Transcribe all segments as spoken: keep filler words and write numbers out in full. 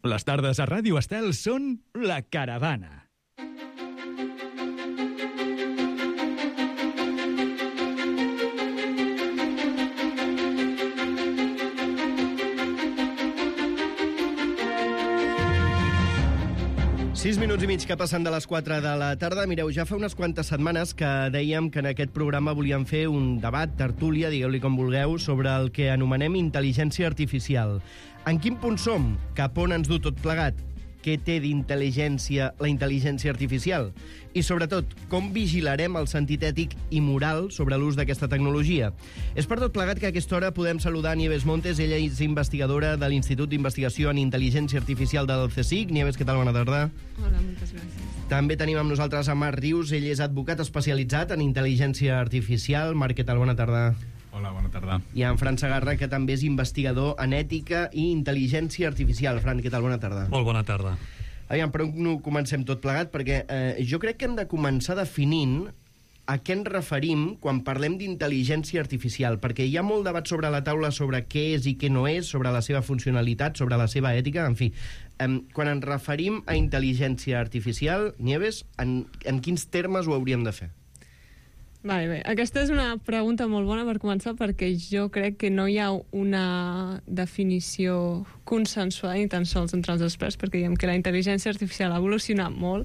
Les tardes a Ràdio Estel són La Caravana. Sis minuts i mig que passen de les quatre de la tarda. Mireu, ja fa unes quantes setmanes que dèiem que en aquest programa volíem fer un debat, tertúlia, digueu-li com vulgueu, sobre el que anomenem intel·ligència artificial. En quin punt som? Cap on ens du tot plegat? Què té d'intel·ligència la intel·ligència artificial? I, sobretot, com vigilarem el sentit ètic i moral sobre l'ús d'aquesta tecnologia? És per tot plegat que a aquesta hora podem saludar Nieves Montes. Ella és investigadora de l'Institut d'Investigació en Intel·ligència Artificial del C S I C. Nieves, què tal? Bona tarda. Hola, moltes gràcies. També tenim amb nosaltres a Marc Rius. Ell és advocat especialitzat en intel·ligència artificial. Marc, què tal? Bona tarda. Hola, bona tarda. I en Fran Segarra, que també és investigador en ètica i intel·ligència artificial. Fran, què tal? Bona tarda. Molt bona tarda. Aviam, però no comencem tot plegat, perquè eh, jo crec que hem de començar definint a què ens referim quan parlem d'intel·ligència artificial, perquè hi ha molt debat sobre la taula sobre què és i què no és, sobre la seva funcionalitat, sobre la seva ètica, en fi. Eh, quan ens referim a intel·ligència artificial, Nieves, en, en quins termes ho hauríem de fer? Vale, bé. Aquesta és una pregunta molt bona per començar, perquè jo crec que no hi ha una definició consensuada ni tan sols entre els experts, perquè diguem que la intel·ligència artificial ha evolucionat molt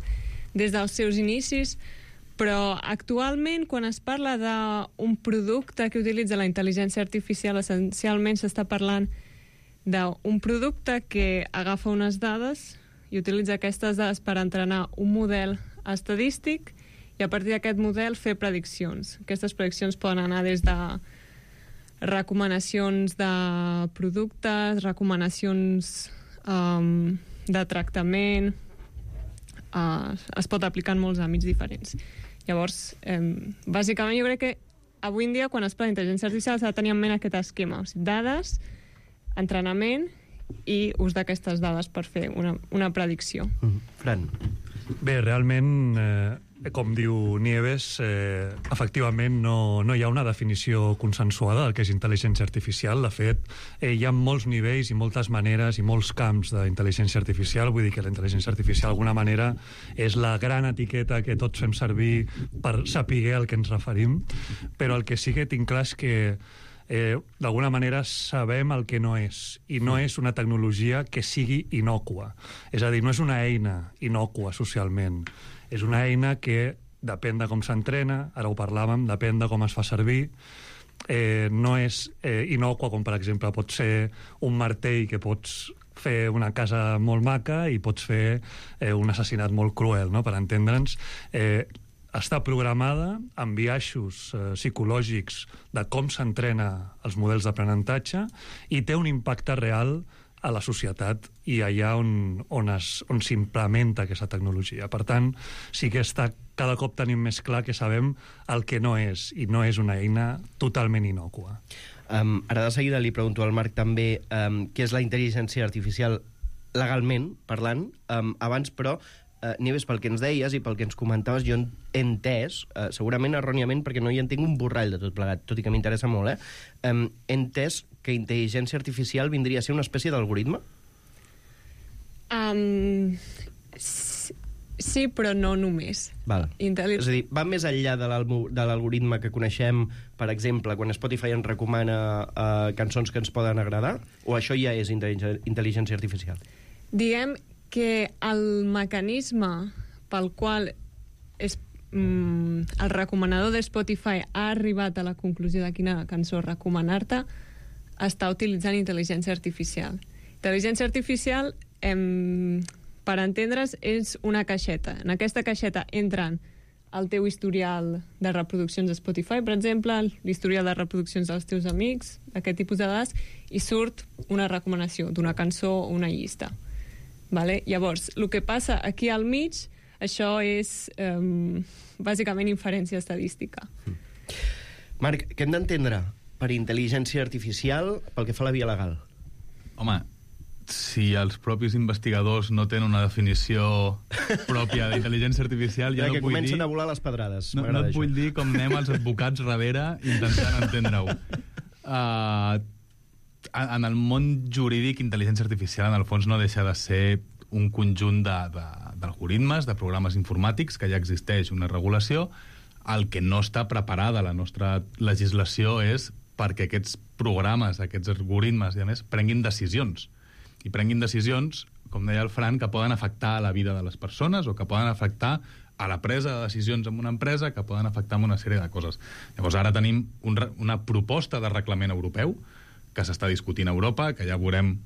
des dels seus inicis, però actualment quan es parla d'un producte que utilitza la intel·ligència artificial, essencialment s'està parlant d'un producte que agafa unes dades i utilitza aquestes dades per entrenar un model estadístic i a partir d'aquest model fer prediccions. Aquestes prediccions poden anar des de recomanacions de productes, recomanacions um, de tractament, uh, es pot aplicar en molts àmbits diferents. Llavors, um, bàsicament jo crec que avui en dia quan es parla d'intel·ligència artificial s'ha de tenir en ment aquest esquema, o sigui, dades, entrenament i ús d'aquestes dades per fer una, una predicció. Mm. Fran. Bé, realment, eh, com diu Nieves, eh, efectivament no, no hi ha una definició consensuada del que és intel·ligència artificial. De fet, eh, hi ha molts nivells i moltes maneres i molts camps d'intel·ligència artificial. Vull dir que la intel·ligència artificial d'alguna manera és la gran etiqueta que tots fem servir per saber al que ens referim, però el que sí que tinc clar és que Eh, d'alguna manera sabem el que no és, i no és una tecnologia que sigui innòcua, és a dir, no és una eina innòcua socialment, és una eina que depèn de com s'entrena, ara ho parlàvem, depèn de com es fa servir, eh, no és eh, innòcua com per exemple pot ser un martell que pots fer una casa molt maca i pots fer eh, un assassinat molt cruel, no? Per entendre'ns, eh, està programada amb biaixos eh, psicològics de com s'entrena els models d'aprenentatge i té un impacte real a la societat i allà on, on, es, on s'implementa aquesta tecnologia. Per tant, sí que està, cada cop tenim més clar que sabem el que no és, i no és una eina totalment innòcua. Um, ara de seguida li pregunto al Marc també um, què és la intel·ligència artificial legalment parlant. Um, abans, però, Uh, Nieves, pel que ens deies i pel que ens comentaves, jo he entès, uh, segurament erròniament, perquè no hi entenc un borrall de tot plegat, tot i que m'interessa molt, eh? Um, he entès que intel·ligència artificial vindria a ser una espècie d'algoritme? Um, sí, però no només. Val. Intel·li... És a dir, va més enllà de l'algoritme que coneixem, per exemple, quan Spotify ens recomana uh, cançons que ens poden agradar? O això ja és intel·ligència artificial? Diguem que el mecanisme pel qual és, mm, el recomanador de Spotify ha arribat a la conclusió de quina cançó recomanar-te està utilitzant intel·ligència artificial. Intel·ligència artificial, em, per entendre's, és una caixeta. En aquesta caixeta entren el teu historial de reproduccions de Spotify, per exemple, l'historial de reproduccions dels teus amics, aquest tipus de dades, i surt una recomanació d'una cançó o una llista. Vale? Llavors, el que passa aquí al mig, això és um, bàsicament inferència estadística. Mm. Marc, què hem d'entendre per intel·ligència artificial pel que fa a la via legal? Home, si els propis investigadors no tenen una definició pròpia d'intel·ligència artificial, ja no que vull dir... comencen a volar les pedrades. No, no et això. vull dir com anem els advocats darrere intentant entendre-ho. Uh, en el món jurídic, intel·ligència artificial, en el fons, no deixa de ser un conjunt d'algoritmes, de, de programes informàtics, que ja existeix una regulació. El que no està preparada la nostra legislació és perquè aquests programes, aquests algoritmes, i a més, prenguin decisions. I prenguin decisions, com deia el Fran, que poden afectar la vida de les persones o que poden afectar a la presa de decisions en una empresa, que poden afectar en una sèrie de coses. Llavors, ara tenim un, una proposta de reglament europeu que s'està discutint a Europa, que ja veurem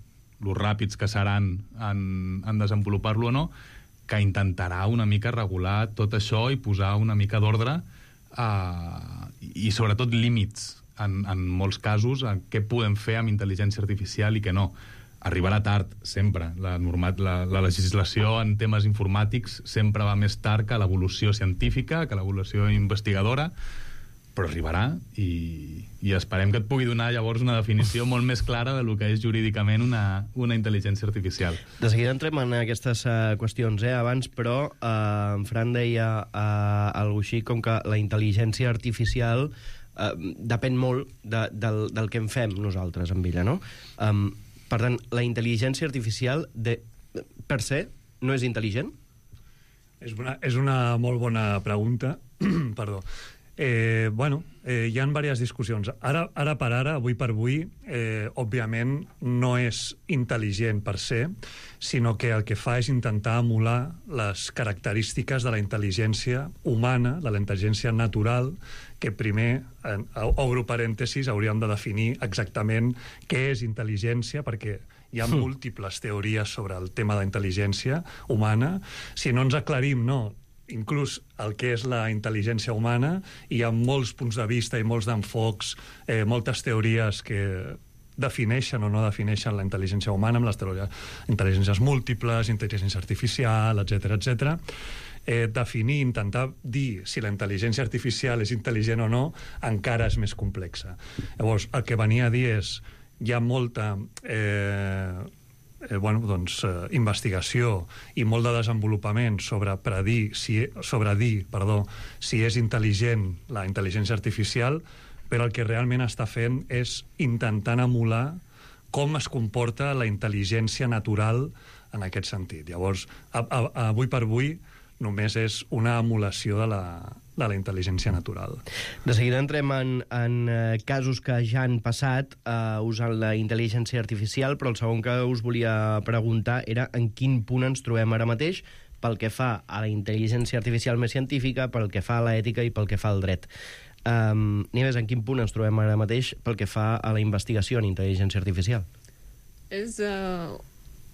los ràpids que seran en, en desenvolupar-lo o no, que intentarà una mica regular tot això i posar una mica d'ordre eh, i sobretot límits en, en molts casos a què podem fer amb intel·ligència artificial i què no. Arribarà tard, sempre. La, normat, la, la legislació en temes informàtics sempre va més tard que l'evolució científica, que l'evolució investigadora, però arribarà i, i esperem que et pugui donar llavors una definició molt més clara de lo que és jurídicament una, una intel·ligència artificial. De seguida entrem en aquestes uh, qüestions, eh, abans, però uh, en Fran deia uh, alguna així com que la intel·ligència artificial uh, depèn molt de, del, del que en fem nosaltres amb ella, no? Um, per tant, la intel·ligència artificial de, per se no és intel·ligent? És una, és una molt bona pregunta. Perdó. Eh, bueno, eh, hi ha diverses discussions. Ara, ara per ara, avui per avui, eh, òbviament no és intel·ligent per se, sinó que el que fa és intentar emular les característiques de la intel·ligència humana, de la intel·ligència natural, que primer, en, obro parèntesis, hauríem de definir exactament què és intel·ligència, perquè hi ha mm. múltiples teories sobre el tema de la intel·ligència humana. Si no ens aclarim, no, inclús el que és la intel·ligència humana, hi ha molts punts de vista i molts d'enfocs, eh, moltes teories que defineixen o no defineixen la intel·ligència humana, amb les teories, intel·ligències múltiples, intel·ligència artificial, etcètera, etcètera. Eh, definir, intentar dir si la intel·ligència artificial és intel·ligent o no, encara és més complexa. Llavors, el que venia a dir és hi ha molta eh, eh, bueno, doncs, eh, investigació i molt de desenvolupament sobre predir, si, sobre dir, perdó, si és intel·ligent la intel·ligència artificial, però el que realment està fent és intentant emular com es comporta la intel·ligència natural en aquest sentit. Llavors, a, a, avui per avui, només és una emulació de la, de la intel·ligència natural. De seguida entrem en, en eh, casos que ja han passat eh, usant la intel·ligència artificial, però el segon que us volia preguntar era en quin punt ens trobem ara mateix pel que fa a la intel·ligència artificial més científica, pel que fa a l'ètica i pel que fa al dret. Um, Nieves, en quin punt ens trobem ara mateix pel que fa a la investigació en intel·ligència artificial? És, uh,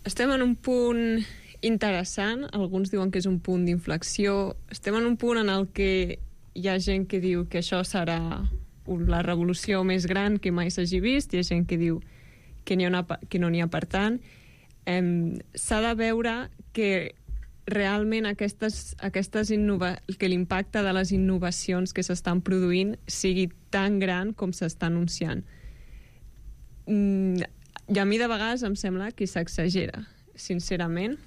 estem en un punt interessant, alguns diuen que és un punt d'inflexió, estem en un punt en el que hi ha gent que diu que això serà la revolució més gran que mai s'hagi vist, hi ha gent que diu que, ha una, que no n'hi ha per tant. Um, s'ha de veure que realment aquestes, aquestes innova... que l'impacte de les innovacions que s'estan produint sigui tan gran com s'està anunciant. Mm, I a mi de vegades em sembla que s'exagera, sincerament.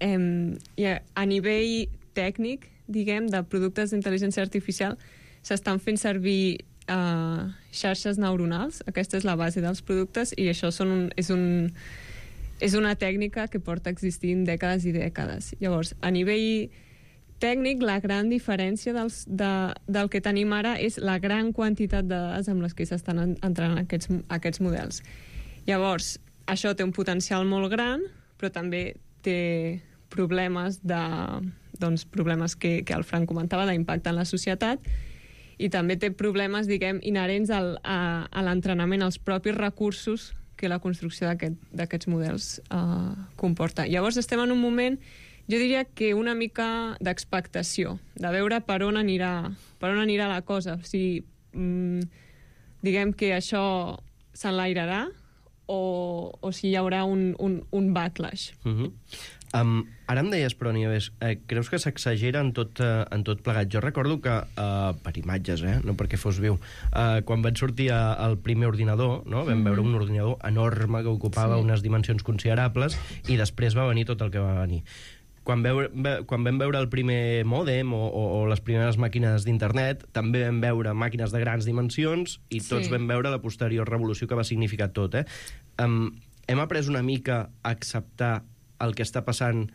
Em, i a, a nivell tècnic, diguem, de productes d'intel·ligència artificial, s'estan fent servir uh, xarxes neuronals. Aquesta és la base dels productes i això són un, és un... és una tècnica que porta existint dècades i dècades. Llavors, a nivell tècnic, la gran diferència dels, de, del que tenim ara és la gran quantitat de dades amb les que s'estan entrant aquests, aquests models. Llavors, això té un potencial molt gran, però també té problemes de, doncs, problemes que, que el Frank comentava, d'impacte en la societat, i també té problemes, diguem, inherents al, a, a l'entrenament, als propis recursos que la construcció d'aquest, d'aquests models uh, comporta. Llavors estem en un moment, jo diria que una mica d'expectació, de veure per on anirà, per on anirà la cosa. O sigui, mm, diguem que això s'enlairarà o, o si hi haurà un, un, un backlash. Uh-huh. Um, ara em deies, però, Nieves, eh, creus que s'exagera en tot, eh, en tot plegat? Jo recordo que, eh, per imatges, eh, no perquè fos viu, eh, quan van sortir a, el primer ordinador, no? Vam mm-hmm. veure un ordinador enorme que ocupava sí. unes dimensions considerables i després va venir tot el que va venir. quan, veu, ve, quan vam veure el primer mòdem o, o, o les primeres màquines d'internet, també vam veure màquines de grans dimensions i tots Sí. vam veure la posterior revolució que va significar tot. Eh? Um, hem après una mica a acceptar el que està passant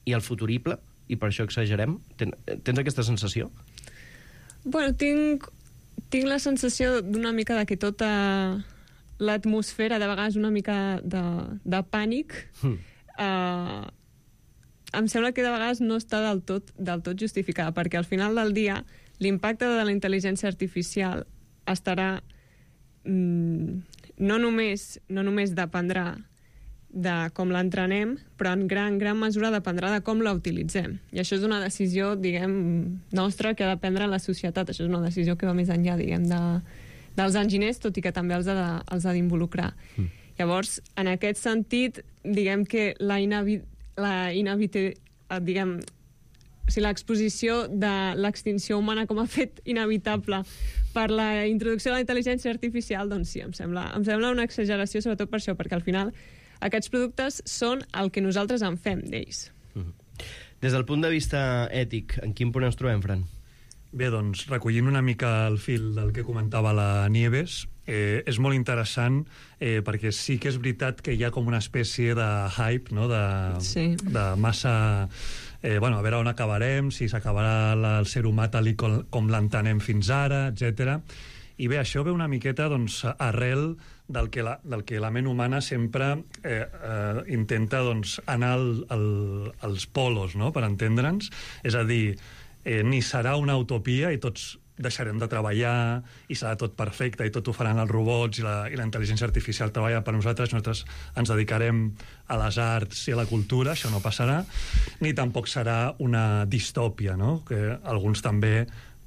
i el futurible, i per això exagerem? Ten, tens aquesta sensació? Bueno, tinc, tinc la sensació d'una mica de que tota l'atmosfera, de vegades una mica de, de pànic, Mm. eh, em sembla que de vegades no està del tot, del tot justificada, perquè al final del dia l'impacte de la intel·ligència artificial estarà... Mm, no només, no només dependrà de com l'entrenem, però en gran, gran mesura dependrà de com la utilitzem. I això és una decisió, diguem, nostra que ha de prendre la societat. Això és una decisió que va més enllà, diguem, de, dels enginyers, tot i que també els ha de, els ha d'involucrar. Mm. Llavors, en aquest sentit, diguem que la inevitabilitat la inevitabilitat, diguem, o sigui, l'exposició de l'extinció humana com a fet inevitable per la introducció de la intel·ligència artificial, doncs sí, em sembla, em sembla una exageració, sobretot per això, perquè al final aquests productes són el que nosaltres en fem d'ells. Mm-hmm. Des del punt de vista ètic, en quin punt ens trobem, Fran? Bé, doncs, recollint una mica el fil del que comentava la Nieves, eh, és molt interessant eh, perquè sí que és veritat que hi ha com una espècie de hype, no?, de, Sí. de massa... Eh, bueno, a veure on acabarem, si s'acabarà la- el ser humà tal i com, com l'entenem fins ara, etcètera. I bé, això ve una miqueta doncs, arrel del que la, del que la ment humana sempre eh, eh, intenta doncs, anar al, al, als polos, no?, per entendre'ns. És a dir, eh, ni serà una utopia i tots deixarem de treballar i serà tot perfecte i tot ho faran els robots i la, i la intel·ligència artificial treballa per nosaltres, nosaltres ens dedicarem a les arts i a la cultura, això no passarà, ni tampoc serà una distòpia, no?, que alguns també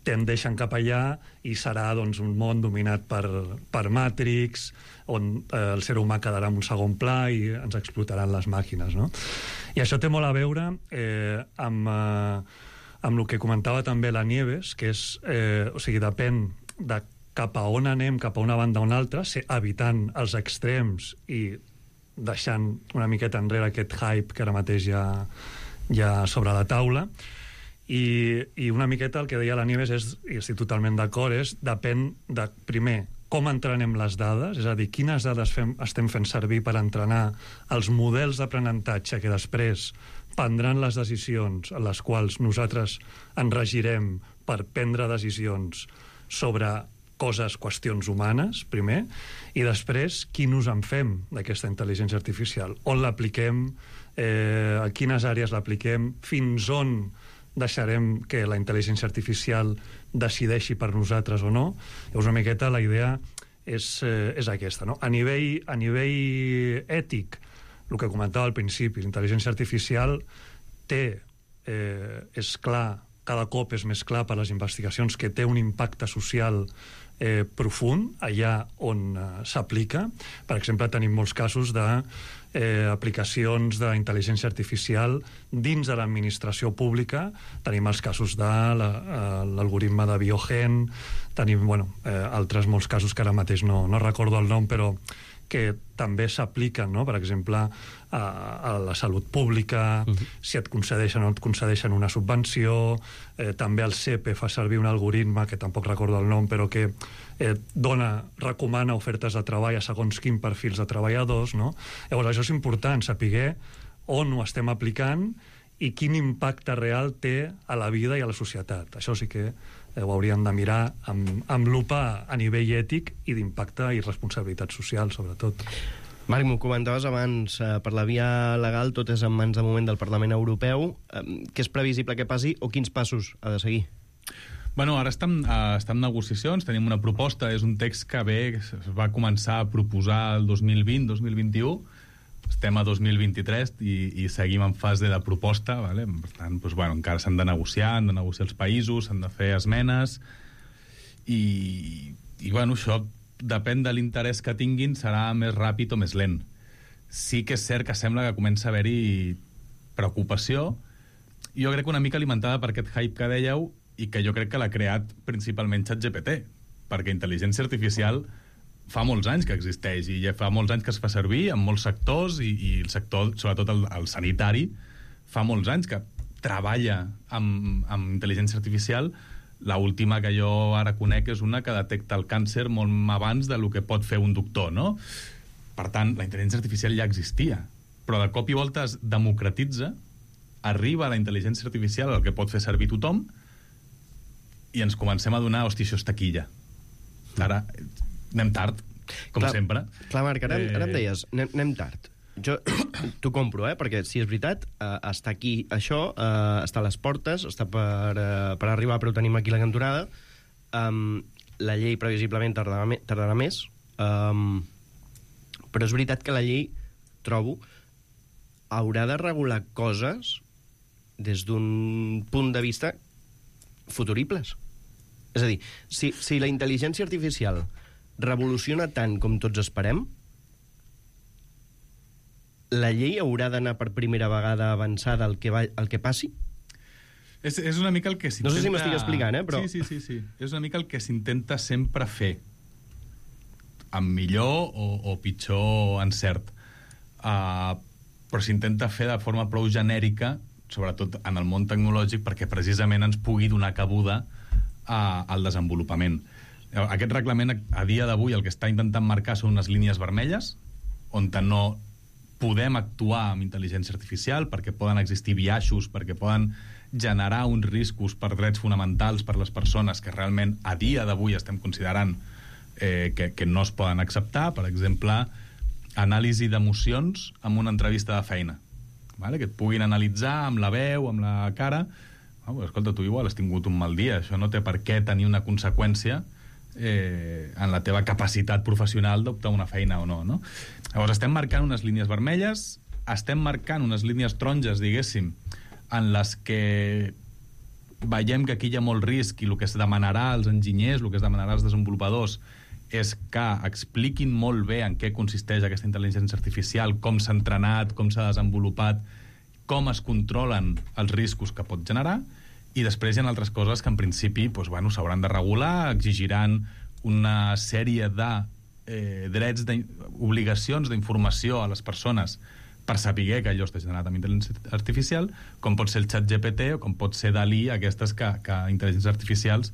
tendeixen cap allà i serà doncs, un món dominat per, per Matrix, on eh, el ser humà quedarà en un segon pla i ens explotaran les màquines, no? I això té molt a veure eh, amb... Eh, amb el que comentava també la Nieves, que és, eh, o sigui, depèn de cap a on anem, cap a una banda o una altra, ser, evitant els extrems i deixant una miqueta enrere aquest hype que ara mateix hi ha, hi ha sobre la taula. I, i una miqueta el que deia la Nieves és, i estic totalment d'acord, és depèn de, primer, com entrenem les dades, és a dir, quines dades fem, estem fent servir per entrenar els models d'aprenentatge que després prendran les decisions en les quals nosaltres ens regirem per prendre decisions sobre coses, qüestions humanes, primer, i després quin ús en fem d'aquesta intel·ligència artificial, on l'apliquem, eh, a quines àrees l'apliquem, fins on deixarem que la intel·ligència artificial decideixi per nosaltres o no. Llavors, una miqueta la idea és, eh, és aquesta, no? A nivell, a nivell ètic, el que comentava al principi, l'intel·ligència artificial té, eh, és clar, cada cop és més clar per les investigacions que té un impacte social eh, profund allà on eh, s'aplica. Per exemple, tenim molts casos de eh, aplicacions d'intel·ligència artificial dins de l'administració pública. Tenim els casos de l'algoritme la, de Biogen, tenim bueno, eh, altres molts casos que ara mateix no, no recordo el nom, però que també s'apliquen, no?, per exemple, a, a la salut pública, uh-huh. si et concedeixen o no et concedeixen una subvenció, eh, també el C E P E fa servir un algoritme, que tampoc recordo el nom, però que eh, dona, recomana ofertes de treball a segons quin perfils de treballadors, no? Llavors, això és important, saber on ho estem aplicant i quin impacte real té a la vida i a la societat. Això sí que ho hauríem de mirar amb, amb lupa a nivell ètic i d'impacte i responsabilitat social, sobretot. Marc, m'ho comentaves abans, eh, per la via legal tot és en mans de moment del Parlament Europeu. Eh, què és previsible que passi o quins passos ha de seguir? Bueno, ara estem, uh, estem en negociacions, tenim una proposta, és un text que bé es va començar a proposar el dos mil vint dos mil vint-i-u, estem a dos mil vint-i-tres i, i seguim en fase de proposta, vale? Per tant, doncs, bueno, encara s'han de negociar, han de negociar els països, s'han de fer esmenes, i, i bueno, això depèn de l'interès que tinguin, serà més ràpid o més lent. Sí que és cert que sembla que comença a haver-hi preocupació, jo crec que una mica alimentada per aquest hype que dèieu, i que jo crec que l'ha creat principalment ChatGPT, perquè intel·ligència artificial fa molts anys que existeix i ja fa molts anys que es fa servir en molts sectors i, i el sector, sobretot el, el sanitari, fa molts anys que treballa amb, amb intel·ligència artificial. La última que jo ara conec és una que detecta el càncer molt abans del que pot fer un doctor, no? Per tant, la intel·ligència artificial ja existia, però de cop i volta es democratitza, arriba la intel·ligència artificial, el que pot fer servir tothom, i ens comencem a donar, hòstia, això és taquilla. Ara anem tard, com clar, sempre. Clar, Marc, ara, Eh... ara em deies, anem, anem tard. Jo t'ho compro, eh? Perquè si és veritat, eh, està aquí això, eh, està a les portes, està per, eh, per arribar, però ho tenim aquí la cantonada. Um, la llei previsiblement tardarà, me, tardarà més, um, però és veritat que la llei, trobo, haurà de regular coses des d'un punt de vista futuribles. És a dir, si, si la intel·ligència artificial revoluciona tant com tots esperem, la llei haurà d'anar per primera vegada avançada al que, va, al que passi? És, és una mica el que s'intenta... No sé si m'estic explicant, eh? Però... Sí, sí, sí, sí. És una mica el que s'intenta sempre fer, amb millor o, o pitjor encert. Uh, però s'intenta fer de forma prou genèrica, sobretot en el món tecnològic, perquè precisament ens pugui donar cabuda uh, al desenvolupament. Aquest reglament, a dia d'avui, el que està intentant marcar són unes línies vermelles, on no podem actuar amb intel·ligència artificial, perquè poden existir biaixos, perquè poden generar uns riscos per drets fonamentals per les persones que realment a dia d'avui estem considerant eh, que, que no es poden acceptar. Per exemple, anàlisi d'emocions amb una entrevista de feina, vale? Que et puguin analitzar amb la veu, amb la cara. Oh, escolta, tu igual has tingut un mal dia, això no té per què tenir una conseqüència eh, en la teva capacitat professional d'optar una feina o no, no? Llavors estem marcant unes línies vermelles, estem marcant unes línies taronges, diguéssim, en les que veiem que aquí hi ha molt risc i el que es demanarà als enginyers, el que es demanarà als desenvolupadors és que expliquin molt bé en què consisteix aquesta intel·ligència artificial, com s'ha entrenat, com s'ha desenvolupat, com es controlen els riscos que pot generar, i després hi ha altres coses que en principi doncs, bueno, s'hauran de regular, exigiran una sèrie de eh, drets, obligacions d'informació a les persones per saber que allò està generat amb intel·ligència artificial, com pot ser el xat G P T o com pot ser DALI, aquestes que, que intel·ligències artificials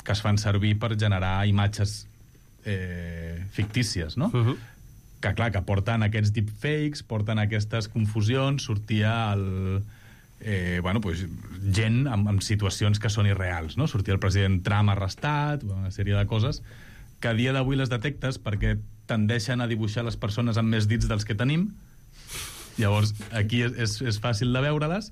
que es fan servir per generar imatges eh, fictícies, no? Uh-huh. Que, clar, que porten aquests deepfakes, porten aquestes confusions, sortia el... Eh, bueno, pues, gent amb, amb situacions que són irreals, no? Sortia el president Trump arrestat, una sèrie de coses que a dia d'avui les detectes perquè tendeixen a dibuixar les persones amb més dits dels que tenim. Llavors, aquí és, és, és fàcil de veure-les,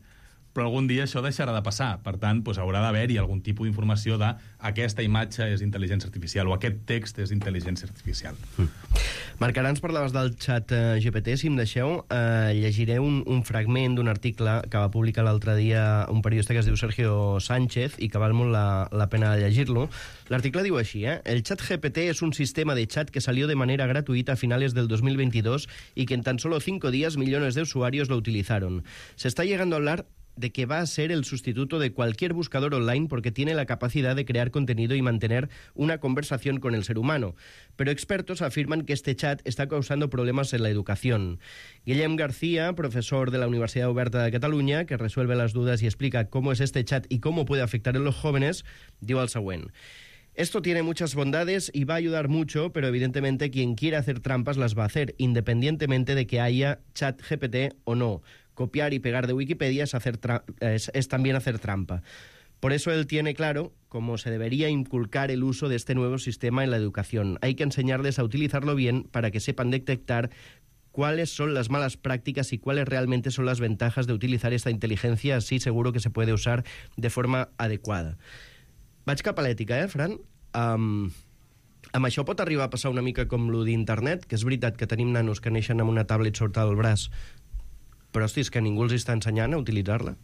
però algun dia això deixarà de passar. Per tant, doncs, haurà d'haver-hi algun tipus d'informació de aquesta imatge és intel·ligència artificial o aquest text és intel·ligència artificial. Mm. Marc, ara ens parlaves del xat eh, G P T. Si em deixeu, eh, llegiré un, un fragment d'un article que va publicar l'altre dia un periodista que es diu Sergio Sánchez i que val molt la, la pena llegir-lo. L'article diu així, ¿eh? El chat G P T es un sistema de chat que salió de manera gratuita a finales del dos mil veintidós y que en tan solo cinco días millones de usuarios lo utilizaron. Se está llegando a hablar de que va a ser el sustituto de cualquier buscador online porque tiene la capacidad de crear contenido y mantener una conversación con el ser humano. Pero expertos afirman que este chat está causando problemas en la educación. Guillem García, profesor de la Universidad Oberta de Cataluña, que resuelve las dudas y explica cómo es este chat y cómo puede afectar en los jóvenes, diu el següent. Esto tiene muchas bondades y va a ayudar mucho, pero evidentemente quien quiera hacer trampas las va a hacer, independientemente de que haya chat G P T o no. Copiar y pegar de Wikipedia es, hacer tra- es, es también hacer trampa. Por eso él tiene claro cómo se debería inculcar el uso de este nuevo sistema en la educación. Hay que enseñarles a utilizarlo bien para que sepan detectar cuáles son las malas prácticas y cuáles realmente son las ventajas de utilizar esta inteligencia. Así seguro que se puede usar de forma adequada. Vaig cap a l'ètica, eh, Fran? Um, amb això pot arribar a passar una mica com lo d'internet, que és veritat que tenim nanos que neixen amb una tablet sota el braç, però, hosti, és que ningú els està ensenyant a utilitzar-la.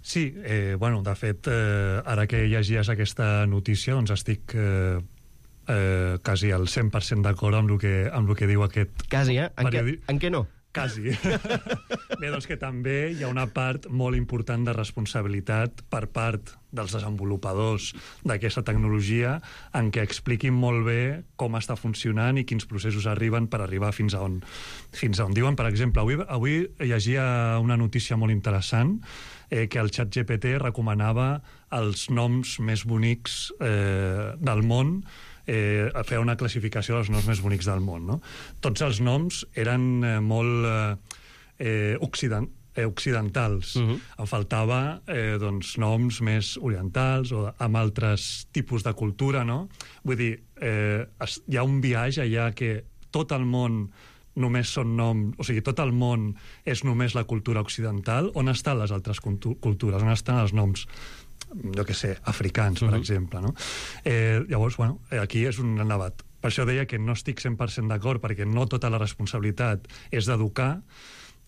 Sí, eh, bueno, de fet, eh, ara que llegies aquesta notícia, doncs estic eh, eh, quasi al cent per cent d'acord amb el que, amb el que diu aquest... Quasi, eh? En, periodi... què, en què no? quasi. Bé, doncs que també hi ha una part molt important de responsabilitat per part dels desenvolupadors d'aquesta tecnologia en què expliquin molt bé com està funcionant i quins processos arriben per arribar fins a on, fins a on diuen. Per exemple, avui, avui llegia una notícia molt interessant eh, que el ChatGPT recomanava els noms més bonics eh, del món, eh, a fer una classificació dels noms més bonics del món. No? Tots els noms eren eh, molt eh, occident, eh, occidentals. Uh-huh. Em faltava eh, doncs, noms més orientals o amb altres tipus de cultura. No? Vull dir, eh, es, hi ha un viatge allà que tot el món només són noms, o sigui, tot el món és només la cultura occidental. On estan les altres cultures? On estan els noms, jo què sé, africans, per uh-huh. exemple, no? Eh, llavors, bueno, aquí és un debat. Per això deia que no estic cent per cent d'acord, perquè no tota la responsabilitat és d'educar,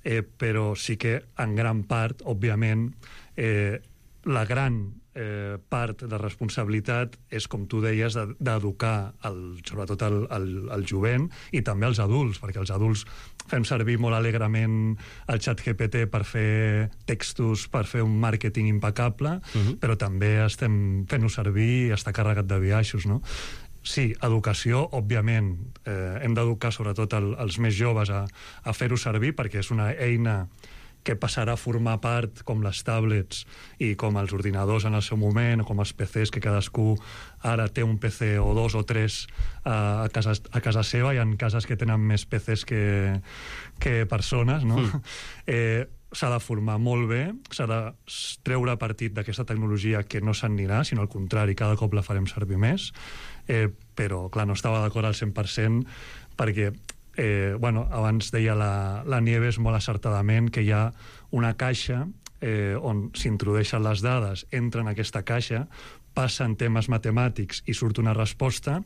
eh, però sí que, en gran part, òbviament, eh, la gran eh, part de responsabilitat és, com tu deies, d'educar el, sobretot el, el, el jovent i també els adults, perquè els adults fem servir molt alegrement el ChatGPT per fer textos, per fer un màrqueting impecable, uh-huh. però també estem fent-ho servir i està carregat de biaixos, no? Sí, educació, òbviament, eh, hem d'educar sobretot el, els més joves a, a fer-ho servir perquè és una eina que passarà a formar part com les tablets i com els ordinadors en el seu moment, o com els P Cs, que cadascú ara té un P C o dos o tres uh, a, casa, a casa seva. Hi ha cases que tenen més P Cs que, que persones, no? Mm. Eh, s'ha de formar molt bé, s'ha de treure partit d'aquesta tecnologia que no s'anirà, sinó al contrari, cada cop la farem servir més. Eh, però, clar, no estava d'acord al cent per cent perquè Eh, bueno, abans deia la, la Nieves molt acertadament que hi ha una caixa eh, on s'introdueixen les dades, entra en aquesta caixa, passen temes matemàtics i surt una resposta.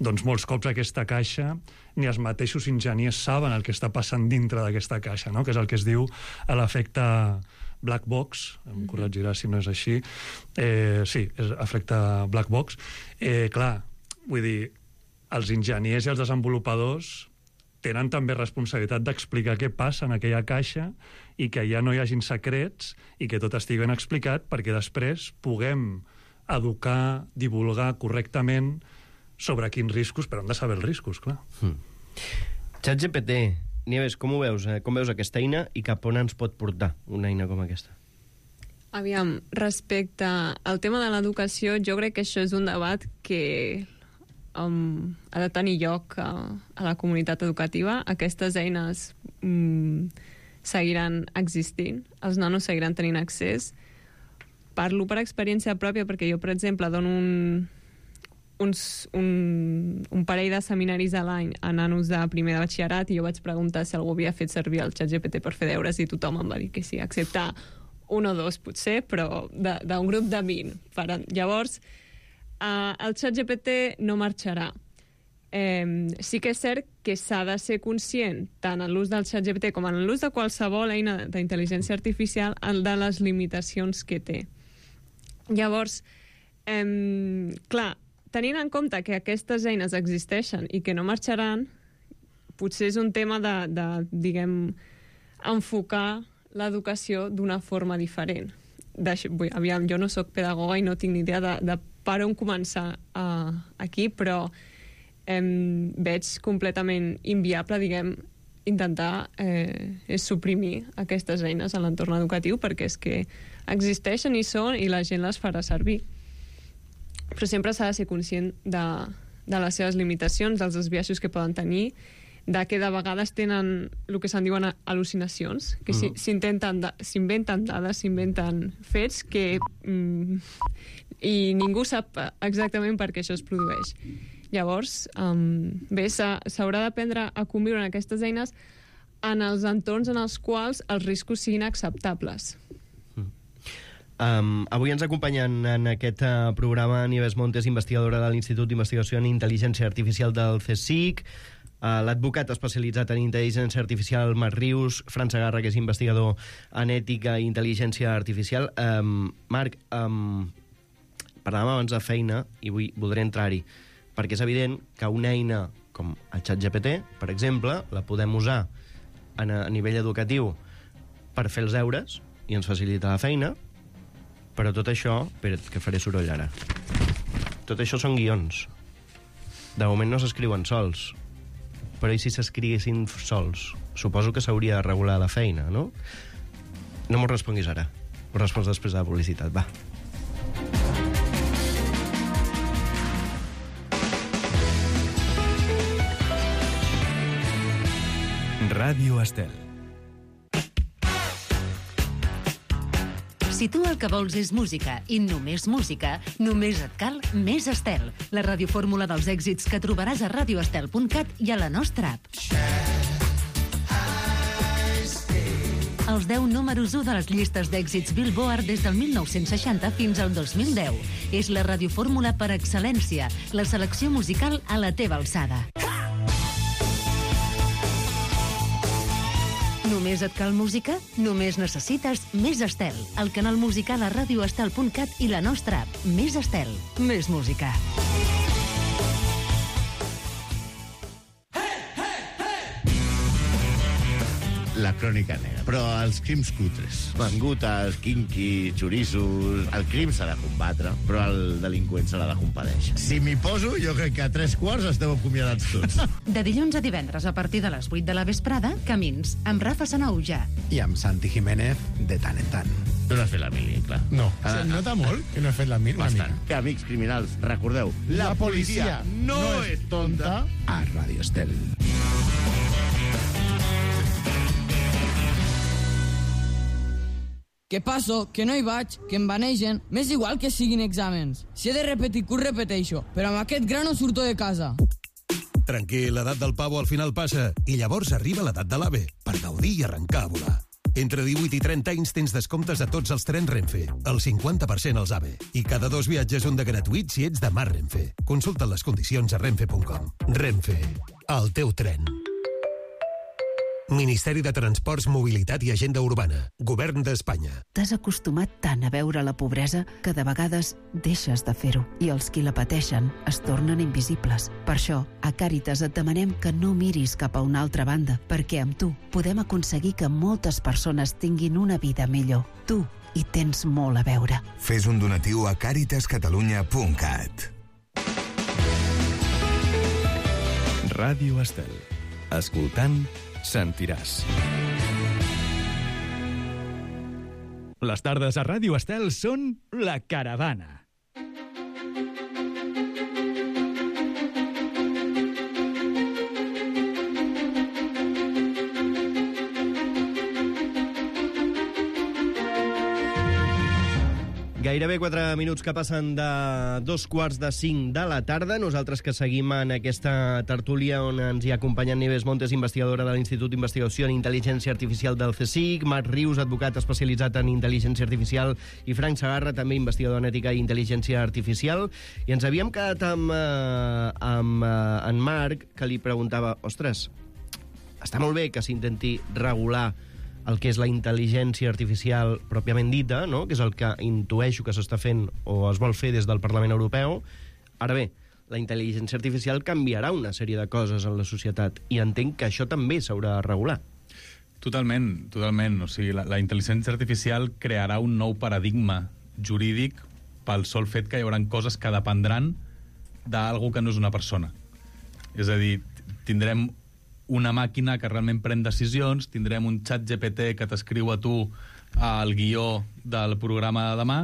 Doncs molts cops aquesta caixa ni els mateixos enginyers saben el que està passant dintre d'aquesta caixa, no? Que és el que es diu a l'efecte black box, em corregirà si no és així. Eh, sí, és efecte black box. Eh, clar, vull dir, els enginyers i els desenvolupadors tenen també responsabilitat d'explicar què passa en aquella caixa i que ja no hi hagin secrets i que tot estigui ben explicat perquè després puguem educar, divulgar correctament sobre quins riscos, però hem de saber els riscos, clar. Hmm. ChatGPT, Nieves, com ho veus? Com veus aquesta eina i cap on ens pot portar una eina com aquesta? Aviam, respecte al tema de l'educació, jo crec que això és un debat que Um, ha de tenir lloc a, a la comunitat educativa. Aquestes eines um, seguiran existint, els nanos seguiran tenint accés. Parlo per experiència pròpia perquè jo, per exemple, dono un, uns, un, un parell de seminaris a l'any a nanos de primer de batxillerat i jo vaig preguntar si algú havia fet servir el ChatGPT per fer deures i tothom em va dir que sí, excepte un o dos potser, però d'un grup de vint. Per, llavors, Uh, el ChatGPT no marxarà. Eh, sí que és cert que s'ha de ser conscient, tant en l'ús del ChatGPT com en l'ús de qualsevol eina d'intel·ligència artificial, de les limitacions que té. Llavors, eh, clar, tenint en compte que aquestes eines existeixen i que no marxaran, potser és un tema de, de diguem, enfocar l'educació d'una forma diferent. De, vull, aviam, jo no sóc pedagoga i no tinc ni idea de, de per on començar uh, aquí, però eh, veig completament inviable, diguem, intentar eh, suprimir aquestes eines a l'entorn educatiu perquè és que existeixen i són i la gent les farà servir. Però sempre s'ha de ser conscient de, de les seves limitacions, dels desviaixos que poden tenir, de que de vegades tenen el que se'n diuen al·lucinacions, que uh-huh. s'intenten, s'inventen dades, s'inventen fets que mm, i ningú sap exactament per què això es produeix. Llavors, um, bé, s'haurà d'aprendre a conviure en aquestes eines en els entorns en els quals els riscos siguin acceptables. Um, avui ens acompanyen en aquest uh, programa Nieves Montes, investigadora de l'Institut d'Investigació en Intel·ligència Artificial del CSIC, uh, l'advocat especialitzat en intel·ligència artificial Marc Rius, Fran Segarra, que és investigador en ètica i intel·ligència artificial. Um, Marc, um, parlàvem abans de feina i vull, voldré entrar-hi, perquè és evident que una eina com el ChatGPT, per exemple, la podem usar a, a nivell educatiu per fer els deures i ens facilita la feina, però tot això... Espera't, que faré soroll ara. Tot això són guions. De moment no s'escriuen sols, però i si s'escriguessin sols? Suposo que s'hauria de regular la feina, no? No m'ho responguis ara. Ho respons després de la publicitat, va. Ràdio Estel. Si tu el que vols és música i només música, només et cal Més Estel, la radiofórmula dels èxits que trobaràs a radio estel punt cat i a la nostra app. Els deu números u de les llistes d'èxits Billboard des del mil nou-cents seixanta fins al dos mil deu. És la radiofórmula per excel·lència, la selecció musical a la teva alçada. Només et cal música? Només necessites Més Estel, el canal musical a radio estel punt cat i la nostra app. Més Estel, més música. La crònica negra. Però els crims cutres, mangutes, kinky, xorissos... El crim s'ha de combatre, però el delinqüent se l'ha de compadèixer. Si m'hi poso, jo crec que a tres quarts esteu acomiadats tots. De dilluns a divendres, a partir de les vuit de la vesprada, Camins, amb Rafa Sanauja. I amb Santi Jiménez, de tant en tant. Tu no has fet la mili, clar. No. Ah, Se nota molt que no he fet la mili. Bastant. Amics criminals, recordeu, la, la policia, policia no, no és tonta. A Radio Estel. Que passo, que no hi vaig, que em banegen, m'és igual que siguin exàmens. Si he de repetir curs, repeteixo, però amb aquest gra no surto de casa. Tranquil, l'edat del pavo al final passa, i llavors arriba l'edat de l'AVE, per gaudir i arrencar a volar. Entre divuit i trenta anys tens descomptes a tots els trens Renfe, el cinquanta per cent als AVE, i cada dos viatges un de gratuït si ets de Mar Renfe. Consulta les condicions a renfe punt com. Renfe, el teu tren. Ministeri de Transports, Mobilitat i Agenda Urbana. Govern d'Espanya. T'has acostumat tant a veure la pobresa que de vegades deixes de fer-ho i els qui la pateixen es tornen invisibles. Per això, a Càritas et demanem que no miris cap a una altra banda, perquè amb tu podem aconseguir que moltes persones tinguin una vida millor. Tu hi tens molt a veure. Fes un donatiu a càritas catalunya punt cat. Ràdio Estel. Escoltant, sentiràs. Les tardes a Ràdio Estel són La Caravana. Gairebé quatre minuts que passen de dos quarts de cinc de la tarda. Nosaltres que seguim en aquesta tertúlia on ens hi ha acompanyat Nieves Montes, investigadora de l'Institut d'Investigació en Intel·ligència Artificial del CSIC, Marc Rius, advocat especialitzat en Intel·ligència Artificial, i Frank Segarra, també investigador en Ètica i Intel·ligència Artificial. I ens havíem quedat amb, eh, amb eh, en Marc, que li preguntava, ostres, està molt bé que s'intenti regular el que és la intel·ligència artificial pròpiament dita, no? Que és el que intueixo que s'està fent o es vol fer des del Parlament Europeu. Ara bé, la intel·ligència artificial canviarà una sèrie de coses en la societat i entenc que això també s'haurà de regular. Totalment, totalment. O sigui, la, la intel·ligència artificial crearà un nou paradigma jurídic pel sol fet que hi haurà coses que dependran d'algú que no és una persona. És a dir, tindrem una màquina que realment pren decisions, tindrem un xat G P T que t'escriu a tu el guió del programa de demà,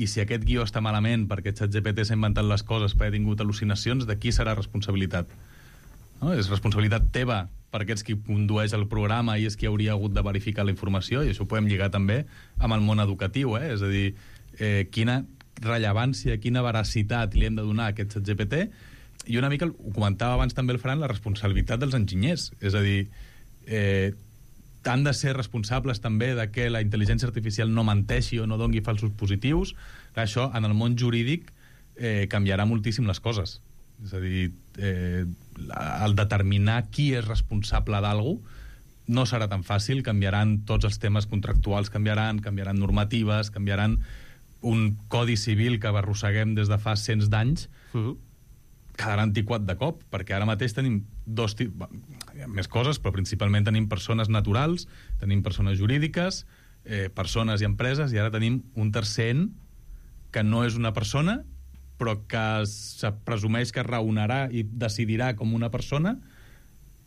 i si aquest guió està malament perquè xat G P T s'ha inventat les coses perquè ha tingut al·lucinacions, de qui serà responsabilitat? No? És responsabilitat teva perquè ets qui condueix el programa i és qui hauria hagut de verificar la informació, i això ho podem lligar també amb el món educatiu, eh? És a dir, eh, quina rellevància, quina veracitat li hem de donar a aquest xat G P T. I una mica, ho comentava abans també el Fran, la responsabilitat dels enginyers. És a dir, eh, han de ser responsables també de que la intel·ligència artificial no menteixi o no dongui falsos positius. Això, en el món jurídic, eh, canviarà moltíssim les coses. És a dir, eh, el determinar qui és responsable d'algú no serà tan fàcil. Canviaran tots els temes contractuals, canviaran, canviaran normatives, canviaran un codi civil que arrosseguem des de fa cents d'anys, uh-huh. quedarà antiquat de cop, perquè ara mateix tenim dos tipus... Hi ha més coses, però principalment tenim persones naturals, tenim persones jurídiques, eh, persones i empreses, i ara tenim un tercer en que no és una persona, però que se presumeix que raonarà i decidirà com una persona,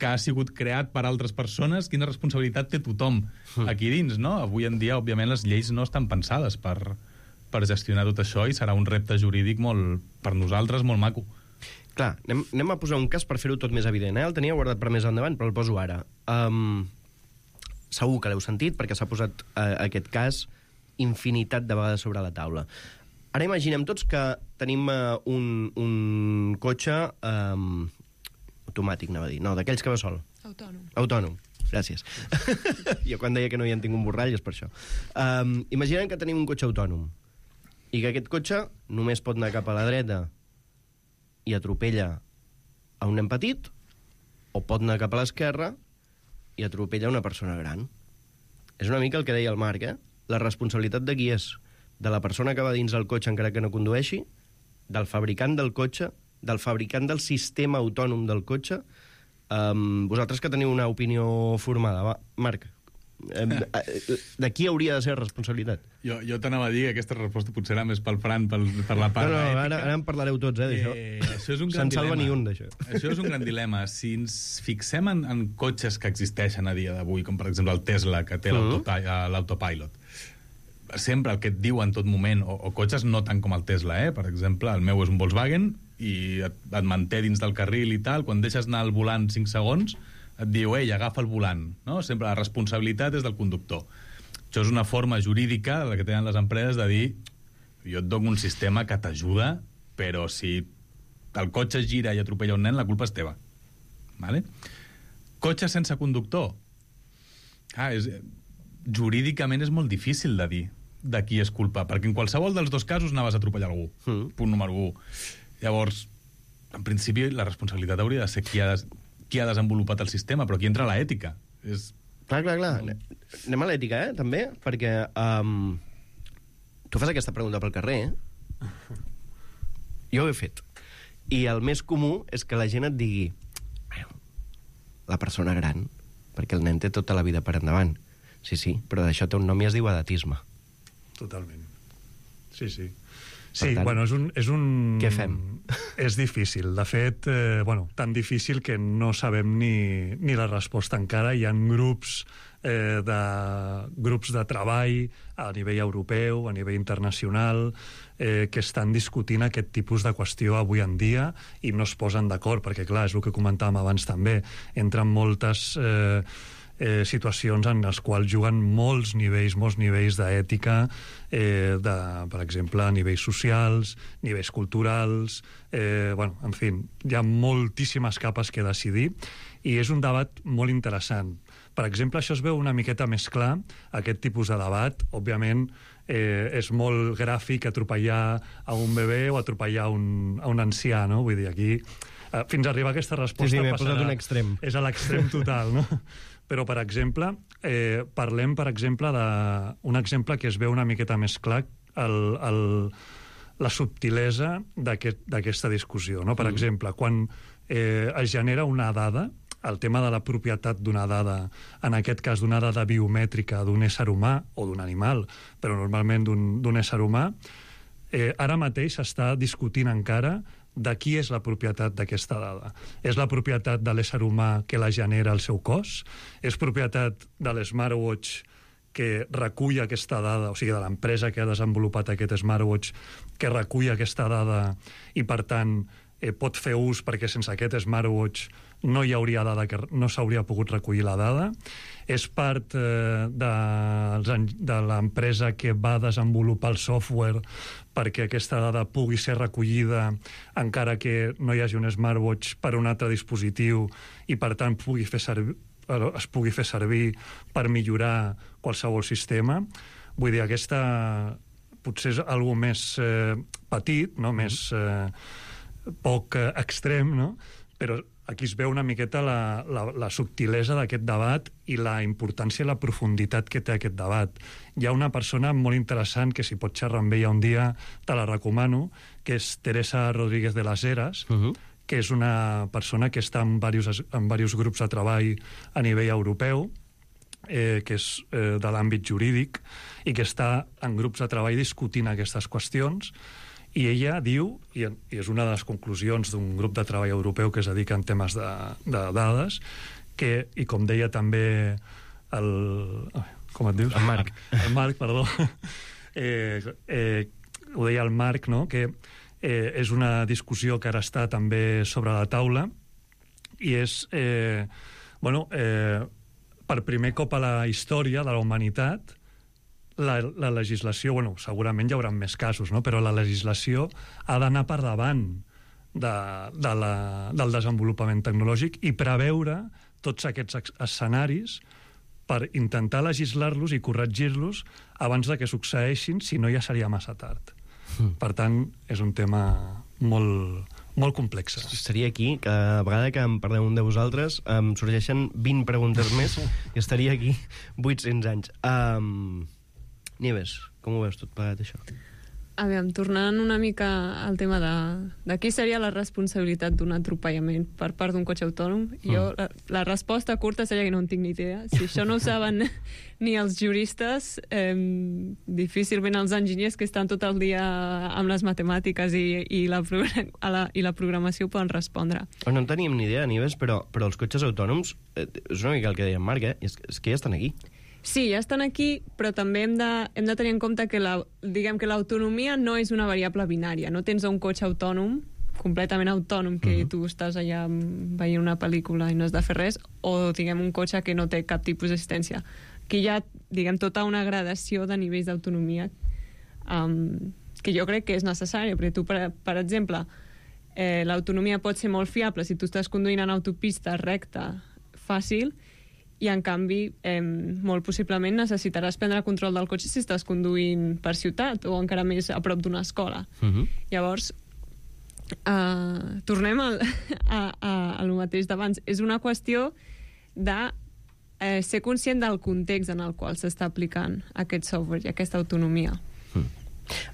que ha sigut creat per altres persones. Quina responsabilitat té tothom aquí dins, no? Avui en dia, òbviament, les lleis no estan pensades per, per gestionar tot això, i serà un repte jurídic molt, per nosaltres, molt maco. Clar, anem, anem a posar un cas per fer-ho tot més evident. Eh? El tenia guardat per més endavant, però el poso ara. Um, segur que l'heu sentit, perquè s'ha posat uh, aquest cas infinitat de vegades sobre la taula. Ara imaginem tots que tenim uh, un, un cotxe um, automàtic, anava a dir. No, d'aquells que va sol. Autònom. Autònom, gràcies. Jo quan deia que no hi en tinc un borrall és per això. Um, imaginem que tenim un cotxe autònom i que aquest cotxe només pot anar cap a la dreta i atropella a un nen petit, o pot anar cap a l'esquerra i atropella una persona gran. És una mica el que deia el Marc, eh? La responsabilitat de qui és? De la persona que va dins del cotxe encara que no condueixi, del fabricant del cotxe, del fabricant del sistema autònom del cotxe. Um, vosaltres que teniu una opinió formada, va, Marc, um, de qui hauria de ser responsabilitat? Jo, jo t'anava a dir que aquesta resposta potser era més pel Fran, pel, per la part no, no, ètica. Ara, ara en parlareu tots, eh, d'això. Eh, això és un gran Se'n salva dilema. ni un, d'això. Això és un gran dilema. Si ens fixem en, en cotxes que existeixen a dia d'avui, com per exemple el Tesla, que té Mhm. l'autopilot, sempre el que et diu en tot moment, o, o cotxes no tant com el Tesla, eh? Per exemple, el meu és un Volkswagen i et, et manté dins del carril i tal, quan deixes anar el volant cinc segons et diu, ei, agafa el volant, no? Sempre la responsabilitat és del conductor. Això és una forma jurídica, la que tenen les empreses, de dir, jo et dono un sistema que t'ajuda, però si el cotxe gira i atropella un nen, la culpa és teva. Vale? Cotxe sense conductor. Ah, és, jurídicament és molt difícil de dir de qui és culpa, perquè en qualsevol dels dos casos anaves a atropellar algú. Mm. Punt número un. Llavors, en principi, la responsabilitat hauria de ser qui ha, des, qui ha desenvolupat el sistema, però aquí entra l'ètica. És... Clar, clar, clar. Anem a l'ètica, eh, també, perquè um, tu fas aquesta pregunta pel carrer, eh? Jo ho he fet. I el més comú és que la gent et digui, la persona gran, perquè el nen té tota la vida per endavant. Sí, sí, però d'això té un nom i es diu edatisme. Totalment. Sí, sí. Sí, tant, bueno, és un, és un... què fem? És difícil. De fet, eh, bueno, tan difícil que no sabem ni, ni la resposta encara. Hi ha grups, eh, de, grups de treball a nivell europeu, a nivell internacional, eh, que estan discutint aquest tipus de qüestió avui en dia i no es posen d'acord, perquè, clar, és el que comentàvem abans també. Entren moltes... Eh, Eh, situacions en les quals juguen molts nivells, molts nivells d'ètica, eh, de, per exemple, nivells socials, nivells culturals, eh, bueno, en fi, hi ha moltíssimes capes que decidir i és un debat molt interessant. Per exemple, això es veu una miqueta més clar, aquest tipus de debat. Òbviament, eh, és molt gràfic atropellar a un bebè o atropellar a un, a un ancià, no? Vull dir, aquí, eh, fins a arribar a aquesta resposta... Sí, sí, m'he passarà, posat un extrem. És a l'extrem total, no? Però, per exemple, eh, parlem, per exemple, d'un exemple que es veu una miqueta més clar, el, el, la subtilesa d'aquesta aquest, discussió. No? Per mm. exemple, quan eh, es genera una dada, el tema de la propietat d'una dada, en aquest cas d'una dada biomètrica d'un ésser humà o d'un animal, però normalment d'un ésser humà, eh, ara mateix s'està discutint encara de qui és la propietat d'aquesta dada. És la propietat de l'ésser humà que la genera el seu cos? És propietat de l'smartwatch que recull aquesta dada, o sigui, de l'empresa que ha desenvolupat aquest smartwatch que recull aquesta dada i, per tant, eh, pot fer ús perquè sense aquest smartwatch no hi hauria dada, que no s'hauria pogut recollir la dada? És part eh, de, de l'empresa que va desenvolupar el software perquè aquesta dada pugui ser recollida encara que no hi hagi un smartwatch per un altre dispositiu i, per tant, pugui fer servir, es pugui fer servir per millorar qualsevol sistema? Vull dir, aquesta potser és algo més eh, petit, no? Més eh, poc eh, extrem, no? Però aquí es veu una miqueta la, la, la subtilesa d'aquest debat i la importància i la profunditat que té aquest debat. Hi ha una persona molt interessant que, si pots xerrar amb ella un dia, te la recomano, que és Teresa Rodríguez de las Heras, uh-huh. que és una persona que està en diversos, en diversos grups de treball a nivell europeu, eh, que és eh, de l'àmbit jurídic, i que està en grups de treball discutint aquestes qüestions, i ella diu, i és una de les conclusions d'un grup de treball europeu que es dedica en temes de, de dades, que, i com deia també el... com et dius? El Marc. El Marc, perdó. Eh, eh, ho deia el Marc, no?, que eh, és una discussió que ara està també sobre la taula, i és, eh, bueno, eh, per primer cop a la història de la humanitat, la, la legislació, bueno, segurament hi haurà més casos, no?, però la legislació ha d'anar per davant de, de la, del desenvolupament tecnològic i preveure tots aquests escenaris per intentar legislar-los i corregir-los abans de que succeeixin, si no ja seria massa tard. Mm. Per tant, és un tema molt, molt complex. Estaria aquí, cada vegada que em parleu un de vosaltres, em sorgeixen vint preguntes més i estaria aquí vuit-cents anys. Um, Nieves, com ho veus tot plegat, això? Aviam, tornant una mica al tema de, de qui seria la responsabilitat d'un atropellament per part d'un cotxe autònom, mm. jo, la, la resposta curta seria que no en tinc ni idea. Si això no ho saben ni els juristes, eh, difícilment els enginyers que estan tot el dia amb les matemàtiques i, i, la, a la, i la programació poden respondre. No en teníem ni idea, Nieves, però, però els cotxes autònoms, eh, és una mica el que deia en Marc, eh? és, és que ja estan aquí. Sí, ja estan aquí, però també hem de, hem de tenir en compte que la, diguem que l'autonomia no és una variable binària. No tens un cotxe autònom, completament autònom, que uh-huh. tu estàs allà veient una pel·lícula i no has de fer res, o diguem un cotxe que no té cap tipus d'assistència. Aquí hi ha, diguem, tota una gradació de nivells d'autonomia um, que jo crec que és necessària, perquè tu, per, per exemple, eh, l'autonomia pot ser molt fiable si tu estàs conduint en autopista recta, fàcil, i en canvi, eh, molt possiblement necessitaràs prendre control del cotxe si estàs conduint per ciutat o encara més a prop d'una escola. Uh-huh. Llavors, eh, tornem al, a, a, a lo mateix d'abans. És una qüestió de eh, ser conscient del context en el qual s'està aplicant aquest software i aquesta autonomia. Uh-huh.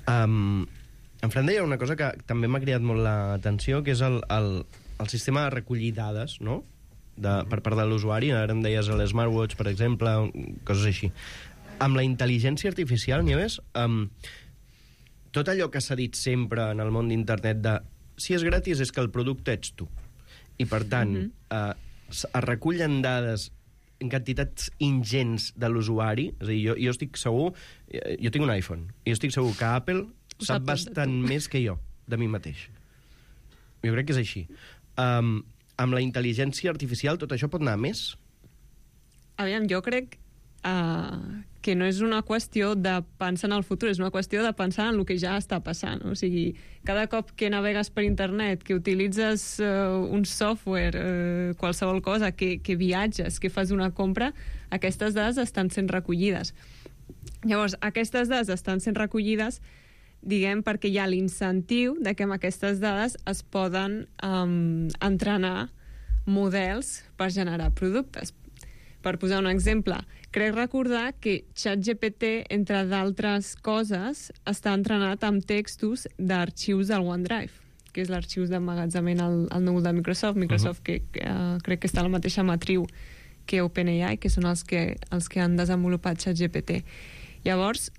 Um, en Fran deia una cosa que també m'ha cridat molt l'atenció, que és el, el, el sistema de recollir dades, no?, De, per part de l'usuari. Ara em deies el smartwatch, per exemple, coses així. Amb la intel·ligència artificial, Nieves, um, tot allò que s'ha dit sempre en el món d'internet de si és gratis és que el producte ets tu. I, per tant, mm-hmm. uh, es recullen dades en quantitats ingents de l'usuari. És a dir, jo, jo estic segur... Jo tinc un iPhone, i jo estic segur que Apple sap, sap bastant més que jo, de mi mateix. Jo crec que és així. Um, amb la intel·ligència artificial tot això pot anar a més? Aviam, jo crec uh, que no és una qüestió de pensar en el futur, és una qüestió de pensar en el que ja està passant. O sigui, cada cop que navegues per internet, que utilitzes uh, un software, uh, qualsevol cosa, que, que viatges, que fas una compra, aquestes dades estan sent recollides. Llavors, aquestes dades estan sent recollides, diguem, perquè hi ha l'incentiu de que amb aquestes dades es poden um, entrenar models per generar productes. Per posar un exemple, crec recordar que ChatGPT, entre d'altres coses, està entrenat amb textos d'arxius del OneDrive, que és l'arxiu d'emmagatzament al, al núvol de Microsoft, Microsoft uh-huh. que, que uh, crec que està a la mateixa matriu que OpenAI, que són els que, els que han desenvolupat ChatGPT. Llavors,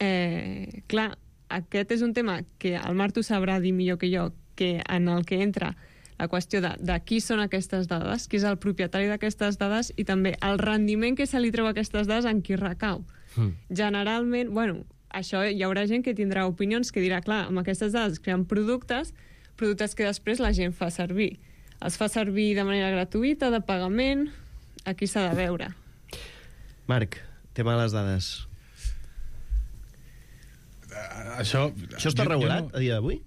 eh, clar, aquest és un tema que el Marc tu sabrà dir millor que jo, que en el que entra la qüestió de, de qui són aquestes dades, qui és el propietari d'aquestes dades i també el rendiment que se li treu a aquestes dades en qui recau. Mm. Generalment, bueno, això hi haurà gent que tindrà opinions que dirà, clar, amb aquestes dades creen productes, productes que després la gent fa servir. Els fa servir de manera gratuïta, de pagament, aquí s'ha de veure. Marc, tema de les dades. Això, Això està jo, regulat jo no... a dia d'avui?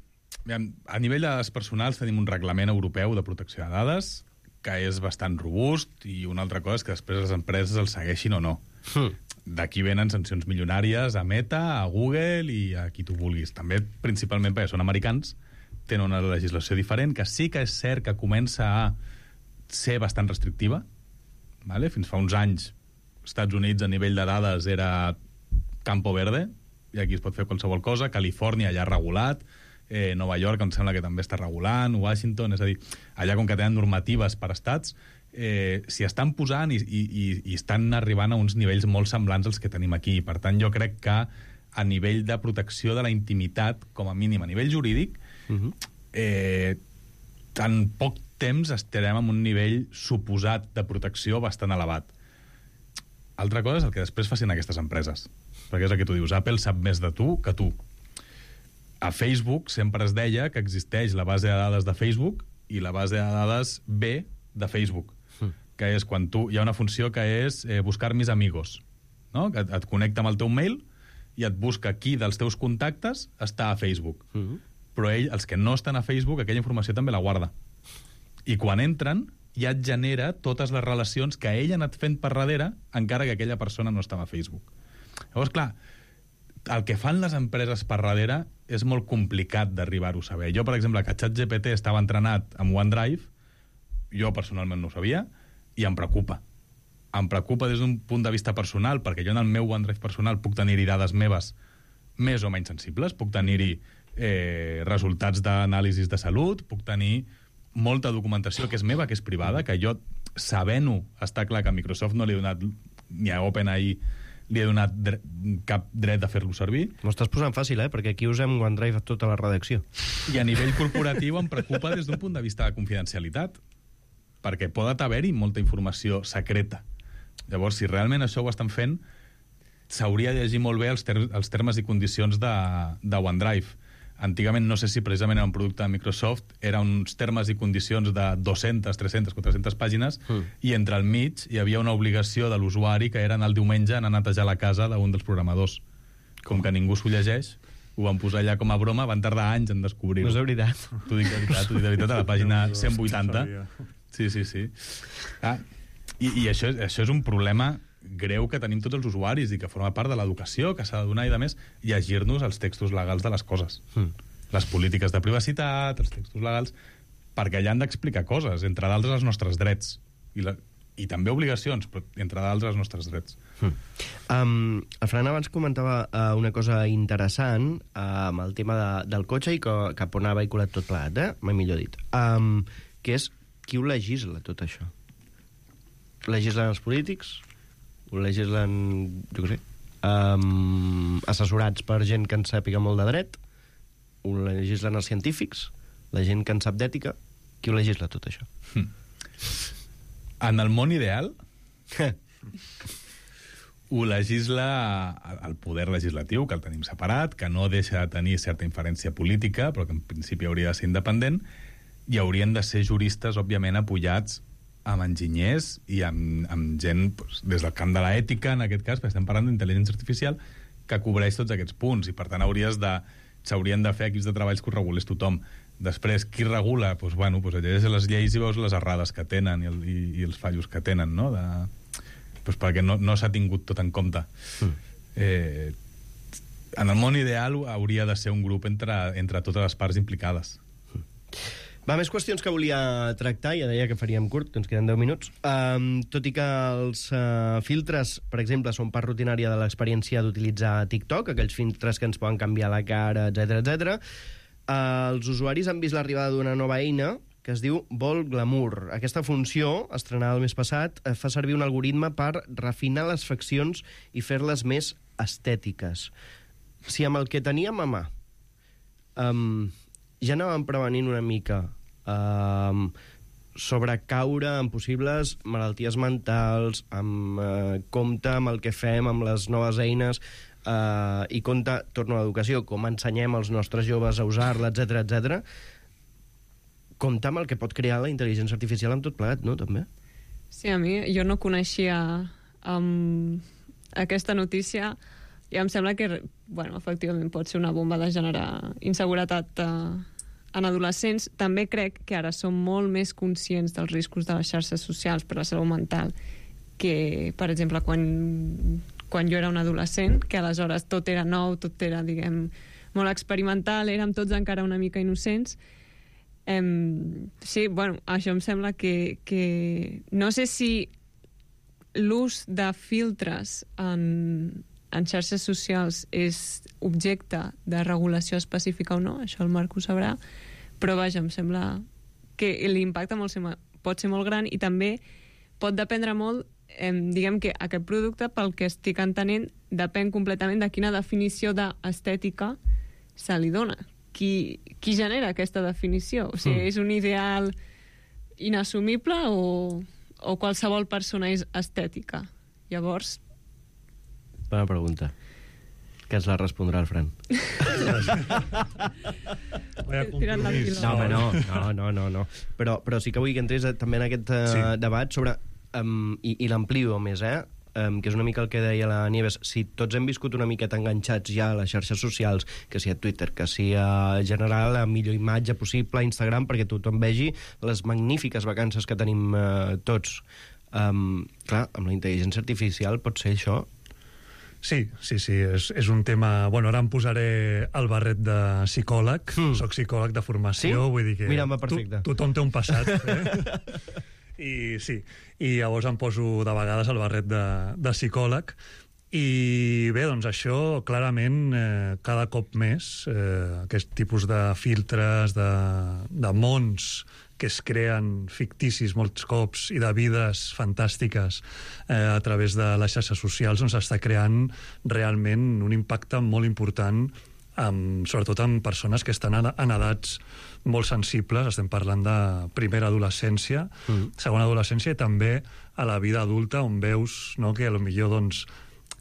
A nivell de dades personals tenim un reglament europeu de protecció de dades que és bastant robust i una altra cosa és que després les empreses el segueixin o no. Hmm. D'aquí venen sancions milionàries a Meta, a Google i a qui tu vulguis. També, principalment perquè són americans, tenen una legislació diferent que sí que és cert que comença a ser bastant restrictiva. Vale? Fins fa uns anys, Estats Units a nivell de dades era campo verde, i aquí es pot fer qualsevol cosa. Califòrnia ja ha regulat, eh, Nova York, em sembla que també està regulant, Washington, és a dir, allà com que tenen normatives per estats, eh, s'hi estan posant i, i, i, i estan arribant a uns nivells molt semblants als que tenim aquí. Per tant, jo crec que a nivell de protecció de la intimitat, com a mínim a nivell jurídic, uh-huh. eh, en poc temps estarem en un nivell suposat de protecció bastant elevat. Altra cosa és el que després facin aquestes empreses, perquè és el que tu dius, Apple sap més de tu que tu. A Facebook sempre es deia que existeix la base de dades de Facebook i la base de dades B de Facebook, mm. que és quan tu... Hi ha una funció que és eh, buscar mis amigos, no? Que et, et connecta amb el teu mail i et busca qui dels teus contactes està a Facebook. Mm. Però ell, els que no estan a Facebook, aquella informació també la guarda. I quan entren, ja et genera totes les relacions que ell ha anat fent per darrere, encara que aquella persona no estava a Facebook. Llavors, clar, el que fan les empreses per darrere és molt complicat d'arribar-ho a saber. Jo, per exemple, que ChatGPT estava entrenat amb OneDrive, jo personalment no ho sabia, i em preocupa. Em preocupa des d'un punt de vista personal, perquè jo en el meu OneDrive personal puc tenir-hi dades meves més o menys sensibles, puc tenir-hi eh, resultats d'anàlisis de salut, puc tenir molta documentació que és meva, que és privada, que jo, sabent-ho, està clar que a Microsoft no li he donat, ni a OpenAI li he donat dre cap dret de fer-lo servir. M'ho estàs posant fàcil, eh? Perquè aquí usem OneDrive a tota la redacció. I a nivell corporatiu em preocupa des d'un punt de vista de confidencialitat, perquè pot haver-hi molta informació secreta. Llavors, si realment això ho estan fent, s'hauria de llegir molt bé els, ter els termes i condicions de, de OneDrive. Antigament, no sé si precisament era un producte de Microsoft, eren uns termes i condicions de dues-centes, tres-centes, quatre-centes pàgines, mm. i entre al mig hi havia una obligació de l'usuari que era anar el diumenge anar a netejar la casa d'un dels programadors. Com que ningú s'ho llegeix, ho van posar allà com a broma, van tardar anys en descobrir-ho. No és de veritat. T'ho dic de veritat, t'ho dic de veritat, a la pàgina cent vuitanta. Sí, sí, sí. Ah, i, i això, això és un problema greu que tenim tots els usuaris i que forma part de l'educació que s'ha de donar i, de més, llegir-nos els textos legals de les coses. Mm. Les polítiques de privacitat, els textos legals, perquè allà han d'explicar coses, entre d'altres els nostres drets. I, la, i també obligacions, però entre d'altres els nostres drets. Mm. Um, el Fran abans comentava uh, una cosa interessant uh, amb el tema de, del cotxe i que, cap on ha vehiculat tot plegat, eh? Mai millor dit. Um, que és qui ho legisla, tot això? Legislen els polítics? Ho legislen, jo què sé, um, assessorats per gent que en sàpiga molt de dret? Ho legislen els científics? La gent que en sap d'ètica? Qui ho legisla, tot això? Hm. En el món ideal, ho legisla el poder legislatiu, que el tenim separat, que no deixa de tenir certa inferència política, però que en principi hauria de ser independent, i haurien de ser juristes, òbviament, apoyats amb enginyers i amb, amb gent doncs, des del camp de l'ètica, en aquest cas, perquè estem parlant d'intel·ligència artificial, que cobreix tots aquests punts, i per tant hauries de s'haurien de fer equips de treballs que ho regulés tothom. Després, qui regula? Doncs, bueno, doncs llegeixes les lleis i veus les errades que tenen i, el, i, i els fallos que tenen, no? De, doncs perquè no, no s'ha tingut tot en compte. Mm. Eh, en el món ideal hauria de ser un grup entre, entre totes les parts implicades. Mm. Va, més qüestions que volia tractar, ja deia que faríem curt, ens queden deu minuts. Um, tot i que els uh, filtres, per exemple, són part rutinària de l'experiència d'utilitzar TikTok, aquells filtres que ens poden canviar la cara, etcètera, etcètera, uh, els usuaris han vist l'arribada d'una nova eina que es diu Vol Glamour. Aquesta funció, estrenada el mes passat, fa servir un algoritme per refinar les faccions i fer-les més estètiques. Si amb el que teníem a mà um, ja anàvem prevenint una mica um, sobre caure en possibles malalties mentals, amb uh, compte amb el que fem, amb les noves eines, uh, i compte, torno a l'educació, com ensenyem als nostres joves a usar-la, etcètera, etcètera, compte amb el que pot crear la intel·ligència artificial amb tot plegat, no, també? Sí, a mi, jo no coneixia um, aquesta notícia i em sembla que, bueno, efectivament pot ser una bomba de generar inseguretat uh, en adolescents. També crec que ara som molt més conscients dels riscos de les xarxes socials per la salut mental que, per exemple, quan, quan jo era un adolescent, que aleshores tot era nou, tot era, diguem, molt experimental, érem tots encara una mica innocents. Um, sí, bueno, això em sembla que, que no sé si l'ús de filtres en, en xarxes socials és objecte de regulació específica o no, això el Marc ho sabrà, però vaja, em sembla que l'impacte molt, pot ser molt gran i també pot dependre molt, eh, diguem que aquest producte, pel que estic entenent, depèn completament de quina definició d'estètica se li dona. Qui, qui genera aquesta definició? O sigui, mm. és un ideal inassumible o, o qualsevol persona és estètica? Llavors... Bona pregunta. Que ens la respondrà el Fran. No, home, no, no, no, no, no. Però, però sí que vull que entrés també en aquest uh, sí. debat sobre, um, i, i l'amplio més, eh? Um, que és una mica el que deia la Nieves, si tots hem viscut una miqueta enganxats ja a les xarxes socials, que si a Twitter, que si a generar la millor imatge possible a Instagram perquè tothom vegi les magnífiques vacances que tenim uh, tots. Um, clar, amb la intel·ligència artificial pot ser això? Sí, sí, sí, és, és un tema... Bueno, ara em posaré el barret de psicòleg, mm. soc psicòleg de formació, sí? Vull dir que... Mira, va perfecte. To, tothom té un passat, eh? I sí, i llavors em poso de vegades el barret de, de psicòleg, i bé, doncs això, clarament, eh, cada cop més, eh, aquest tipus de filtres, de, de mons que es creen ficticis molts cops i de vides fantàstiques eh, a través de les xarxes socials, doncs està creant realment un impacte molt important, amb, sobretot amb persones que estan en edats molt sensibles. Estem parlant de primera adolescència, mm. segona adolescència i també a la vida adulta, on veus, no, que potser doncs,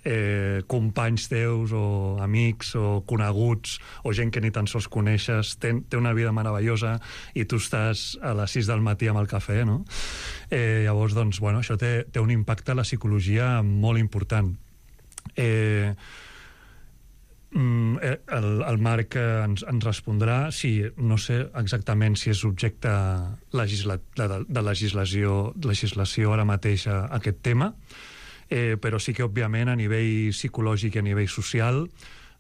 eh, companys teus o amics o coneguts o gent que ni tan sols coneixes té, té una vida meravellosa i tu estàs a les sis del matí amb el cafè, no? Eh, llavors, doncs, bueno, això té, té un impacte a la psicologia molt important. Eh, el, el Marc ens, ens respondrà si, no sé exactament si és objecte legisla, de, de legislació, legislació ara mateix a, a aquest tema, eh, però sí que, òbviament, a nivell psicològic i a nivell social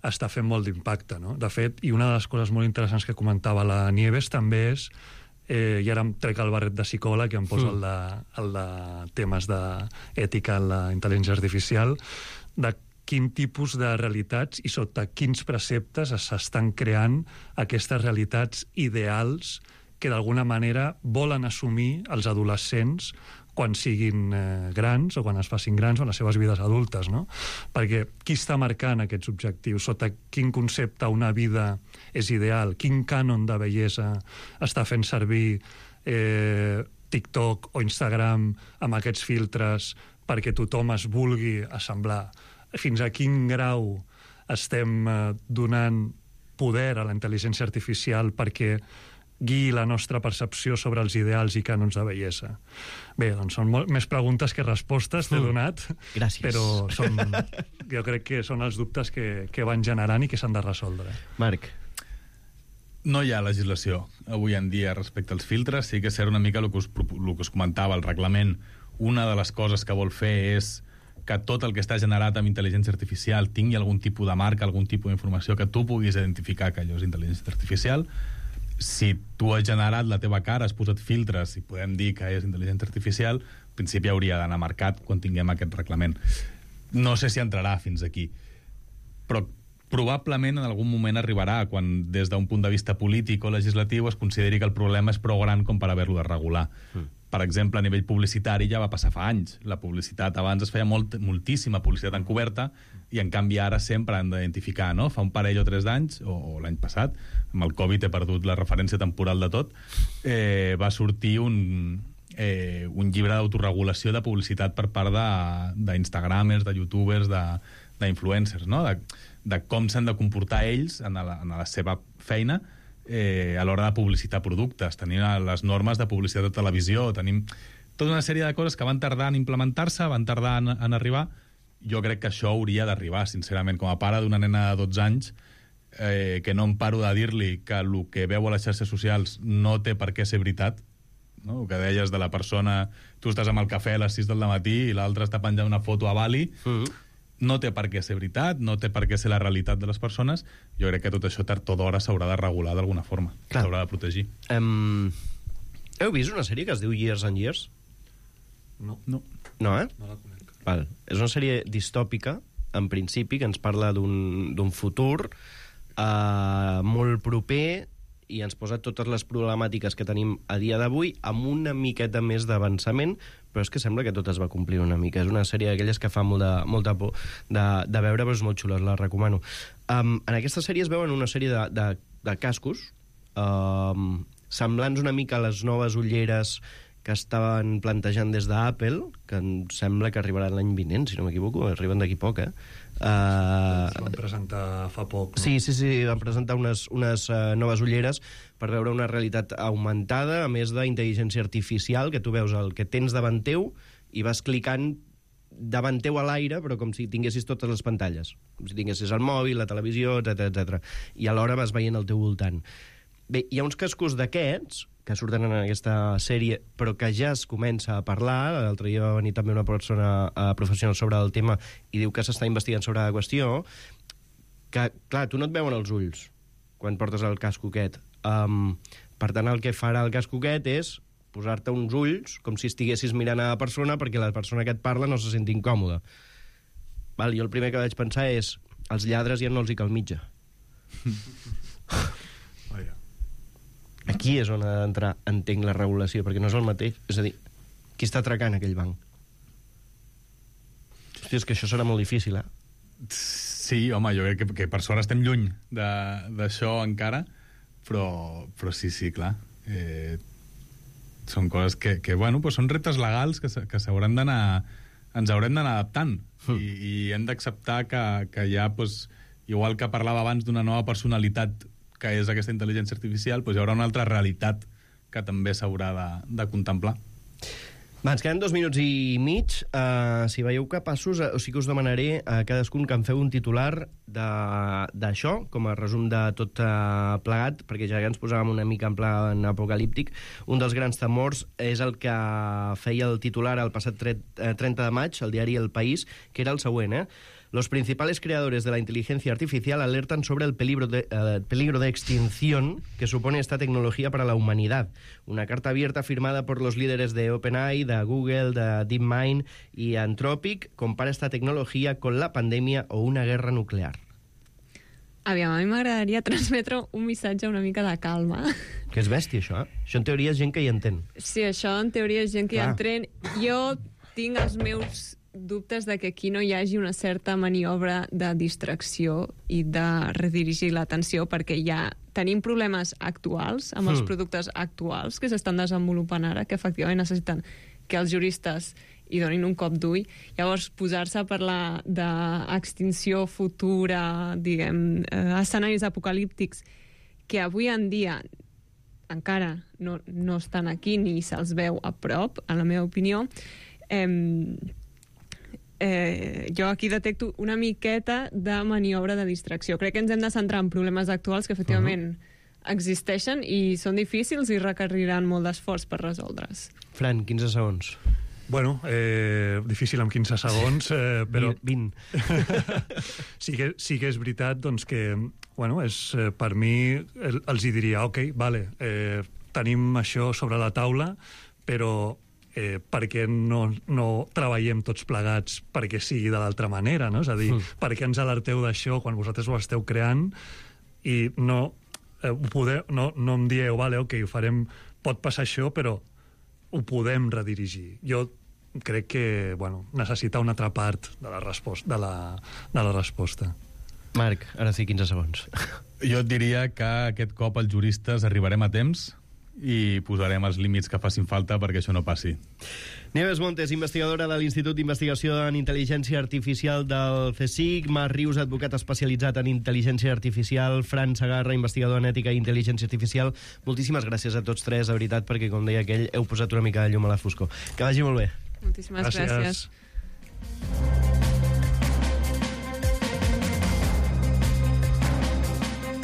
està fent molt d'impacte, no? De fet, i una de les coses molt interessants que comentava la Nieves també és, eh, i ara em trec el barret de psicòleg i em poso mm. el, de, el de temes d'ètica en la intel·ligència artificial, de quin tipus de realitats i sota quins preceptes s'estan creant aquestes realitats ideals que d'alguna manera volen assumir els adolescents quan siguin eh, grans o quan es facin grans o en les seves vides adultes, no? Perquè qui està marcant aquests objectius? Sota quin concepte una vida és ideal? Quin cànon de bellesa està fent servir eh, TikTok o Instagram amb aquests filtres perquè tothom es vulgui assemblar? Fins a quin grau estem eh, donant poder a la intel·ligència artificial perquè guiï la nostra percepció sobre els ideals i cànons de bellesa? Bé, doncs són molt més preguntes que respostes, t'he donat. Gràcies. Però són, jo crec que són els dubtes que, que van generant i que s'han de resoldre. Marc. No hi ha legislació avui en dia respecte als filtres. Sí que és una mica el que us, el que us comentava, el reglament. Una de les coses que vol fer és que tot el que està generat amb intel·ligència artificial tingui algun tipus de marca, algun tipus d'informació que tu puguis identificar que allò és intel·ligència artificial. Si tu has generat la teva cara, has posat filtres i podem dir que és intel·ligència artificial, en principi hauria d'anar marcat quan tinguem aquest reglament. No sé si entrarà fins aquí, però probablement en algun moment arribarà quan des d'un punt de vista polític o legislatiu es consideri que el problema és prou gran com per haver-lo de regular. Mm. Per exemple, a nivell publicitari ja va passar fa anys. La publicitat abans es feia molt, moltíssima publicitat encoberta i en canvi ara sempre han d'identificar, no? Fa un parell o tres d'anys, o, o l'any passat, amb el Covid he perdut la referència temporal de tot, eh, va sortir un, eh, un llibre d'autoregulació de publicitat per part d'Instagramers, de, de youtubers, d'influencers, no? De, de com s'han de comportar ells en la, en la seva feina eh, a l'hora de publicitar productes. Tenim les normes de publicitat de televisió, tenim tota una sèrie de coses que van tardar en implementar-se, van tardar en, en arribar. Jo crec que això hauria d'arribar, sincerament, com a pare d'una nena de dotze anys, eh, que no em paro de dir-li que el que veu a les xarxes socials no té per què ser veritat, no? El que deies de la persona, tu estàs amb el cafè a les sis del matí i l'altre està penjant una foto a Bali, mm-hmm. no té per què ser veritat, no té per què ser la realitat de les persones. Jo crec que tot això tard o d'hora s'haurà de regular d'alguna forma, s'haurà de protegir. Um, heu vist una sèrie que es diu Years and Years? No. No. No, eh? No la conec. Val. És una sèrie distòpica en principi, que ens parla d'un futur eh, molt proper i ens posa totes les problemàtiques que tenim a dia d'avui amb una miqueta més d'avançament, però és que sembla que tot es va complir una mica. És una sèrie d'aquelles que fa molt de, molta por de, de veure, però és molt xula, la recomano. Um, en aquesta sèrie es veuen una sèrie de, de, de cascos um, semblants una mica a les noves ulleres que estaven plantejant des d'Apple, que em sembla que arribaran l'any vinent, si no m'equivoco, arriben d'aquí poc, eh? Uh... Se van presentar fa poc, no? Sí, sí, sí, van presentar unes, unes uh, noves ulleres per veure una realitat augmentada, a més d'intel·ligència artificial, que tu veus el que tens davant teu i vas clicant davant teu a l'aire, però com si tinguessis totes les pantalles, com si tinguessis el mòbil, la televisió, etcètera, etcètera. I alhora vas veient al teu voltant. Bé, hi ha uns cascos d'aquests que surten en aquesta sèrie, però que ja es comença a parlar. L'altre dia va venir també una persona uh, professional sobre el tema i diu que s'està investigant sobre la qüestió, que, clar, tu no et veuen els ulls quan portes el casco aquest. Um, per tant, el que farà el casco aquest és posar-te uns ulls com si estiguessis mirant a la persona perquè la persona que et parla no se senti incòmoda. Val, jo el primer que vaig pensar és els lladres ja no els hi cal mitja. Aquí és on ha d'entrar, entenc, la regulació, perquè no és el mateix. És a dir, qui està atracant aquell banc? Hòstia, és que això serà molt difícil, eh? Sí, home, jo crec que, que per sort estem lluny d'això encara, però, però sí, sí, clar. Eh, són coses que, que bueno, pues són reptes legals que, que s'hauran d'anar... ens haurem d'anar adaptant. Mm. I, i hem d'acceptar que, que hi ha, pues, igual que parlava abans d'una nova personalitat que és aquesta intel·ligència artificial, doncs hi haurà una altra realitat que també s'haurà de, de contemplar. Va, ens queden dos minuts i mig. Uh, si veieu capaços, uh, o sí que us demanaré a cadascun que em feu un titular d'això, com a resum de tot uh, plegat, perquè ja ens posàvem una mica en plan apocalíptic. Un dels grans temors és el que feia el titular el passat trenta de maig, al diari El País, que era el següent, eh? Los principales creadores de la inteligencia artificial alertan sobre el peligro de, uh, peligro de extinción que supone esta tecnología para la humanidad. Una carta abierta firmada por los líderes de OpenAI, de Google, de DeepMind y Anthropic compara esta tecnología con la pandemia o una guerra nuclear. Aviam, a mi m'agradaria transmetre un missatge una mica de calma. Que és bèstia, això, eh? Això en teoria és gent que hi entén. Sí, això en teoria és gent que hi Clar. entén. Jo tinc els meus dubtes de que aquí no hi hagi una certa maniobra de distracció i de redirigir l'atenció, perquè ja tenim problemes actuals amb els Mm. productes actuals que s'estan desenvolupant ara, que efectivament necessiten que els juristes hi donin un cop d'ull. Llavors, posar-se a parlar d'extinció futura, diguem, eh, escenaris apocalíptics que avui en dia encara no, no estan aquí ni se'ls veu a prop, en la meva opinió, eh, Eh, jo aquí detecto una miqueta de maniobra de distracció. Crec que ens hem de centrar en problemes actuals que efectivament uh-huh. existeixen i són difícils i requeriran molt d'esforç per resoldre's. Fran, quinze segons. Bueno, eh, difícil amb quinze segons, eh, però... vint. sí, que, sí que és veritat doncs, que, bueno, és, eh, per mi el, els hi diria, ok, vale, eh, tenim això sobre la taula, però eh, perquè no, no treballem tots plegats perquè sigui de l'altra manera, no? És a dir, mm. per què ens alerteu d'això quan vosaltres ho esteu creant i no, eh, ho podeu, no, no em dieu, vale, ok, ho farem, pot passar això, però ho podem redirigir. Jo crec que, bueno, necessita una altra part de la resposta. De la, de la resposta. Marc, ara sí, quinze segons. Jo et diria que aquest cop els juristes arribarem a temps i posarem els límits que facin falta perquè això no passi. Nieves Montes, investigadora de l'Institut d'Investigació en Intel·ligència Artificial del CSIC, Marc Rius, advocat especialitzat en intel·ligència artificial, Fran Segarra, investigador en ètica i intel·ligència artificial. Moltíssimes gràcies a tots tres, de veritat, perquè, com deia aquell, heu posat una mica de llum a la foscor. Que vagi molt bé. Moltíssimes gràcies. gràcies.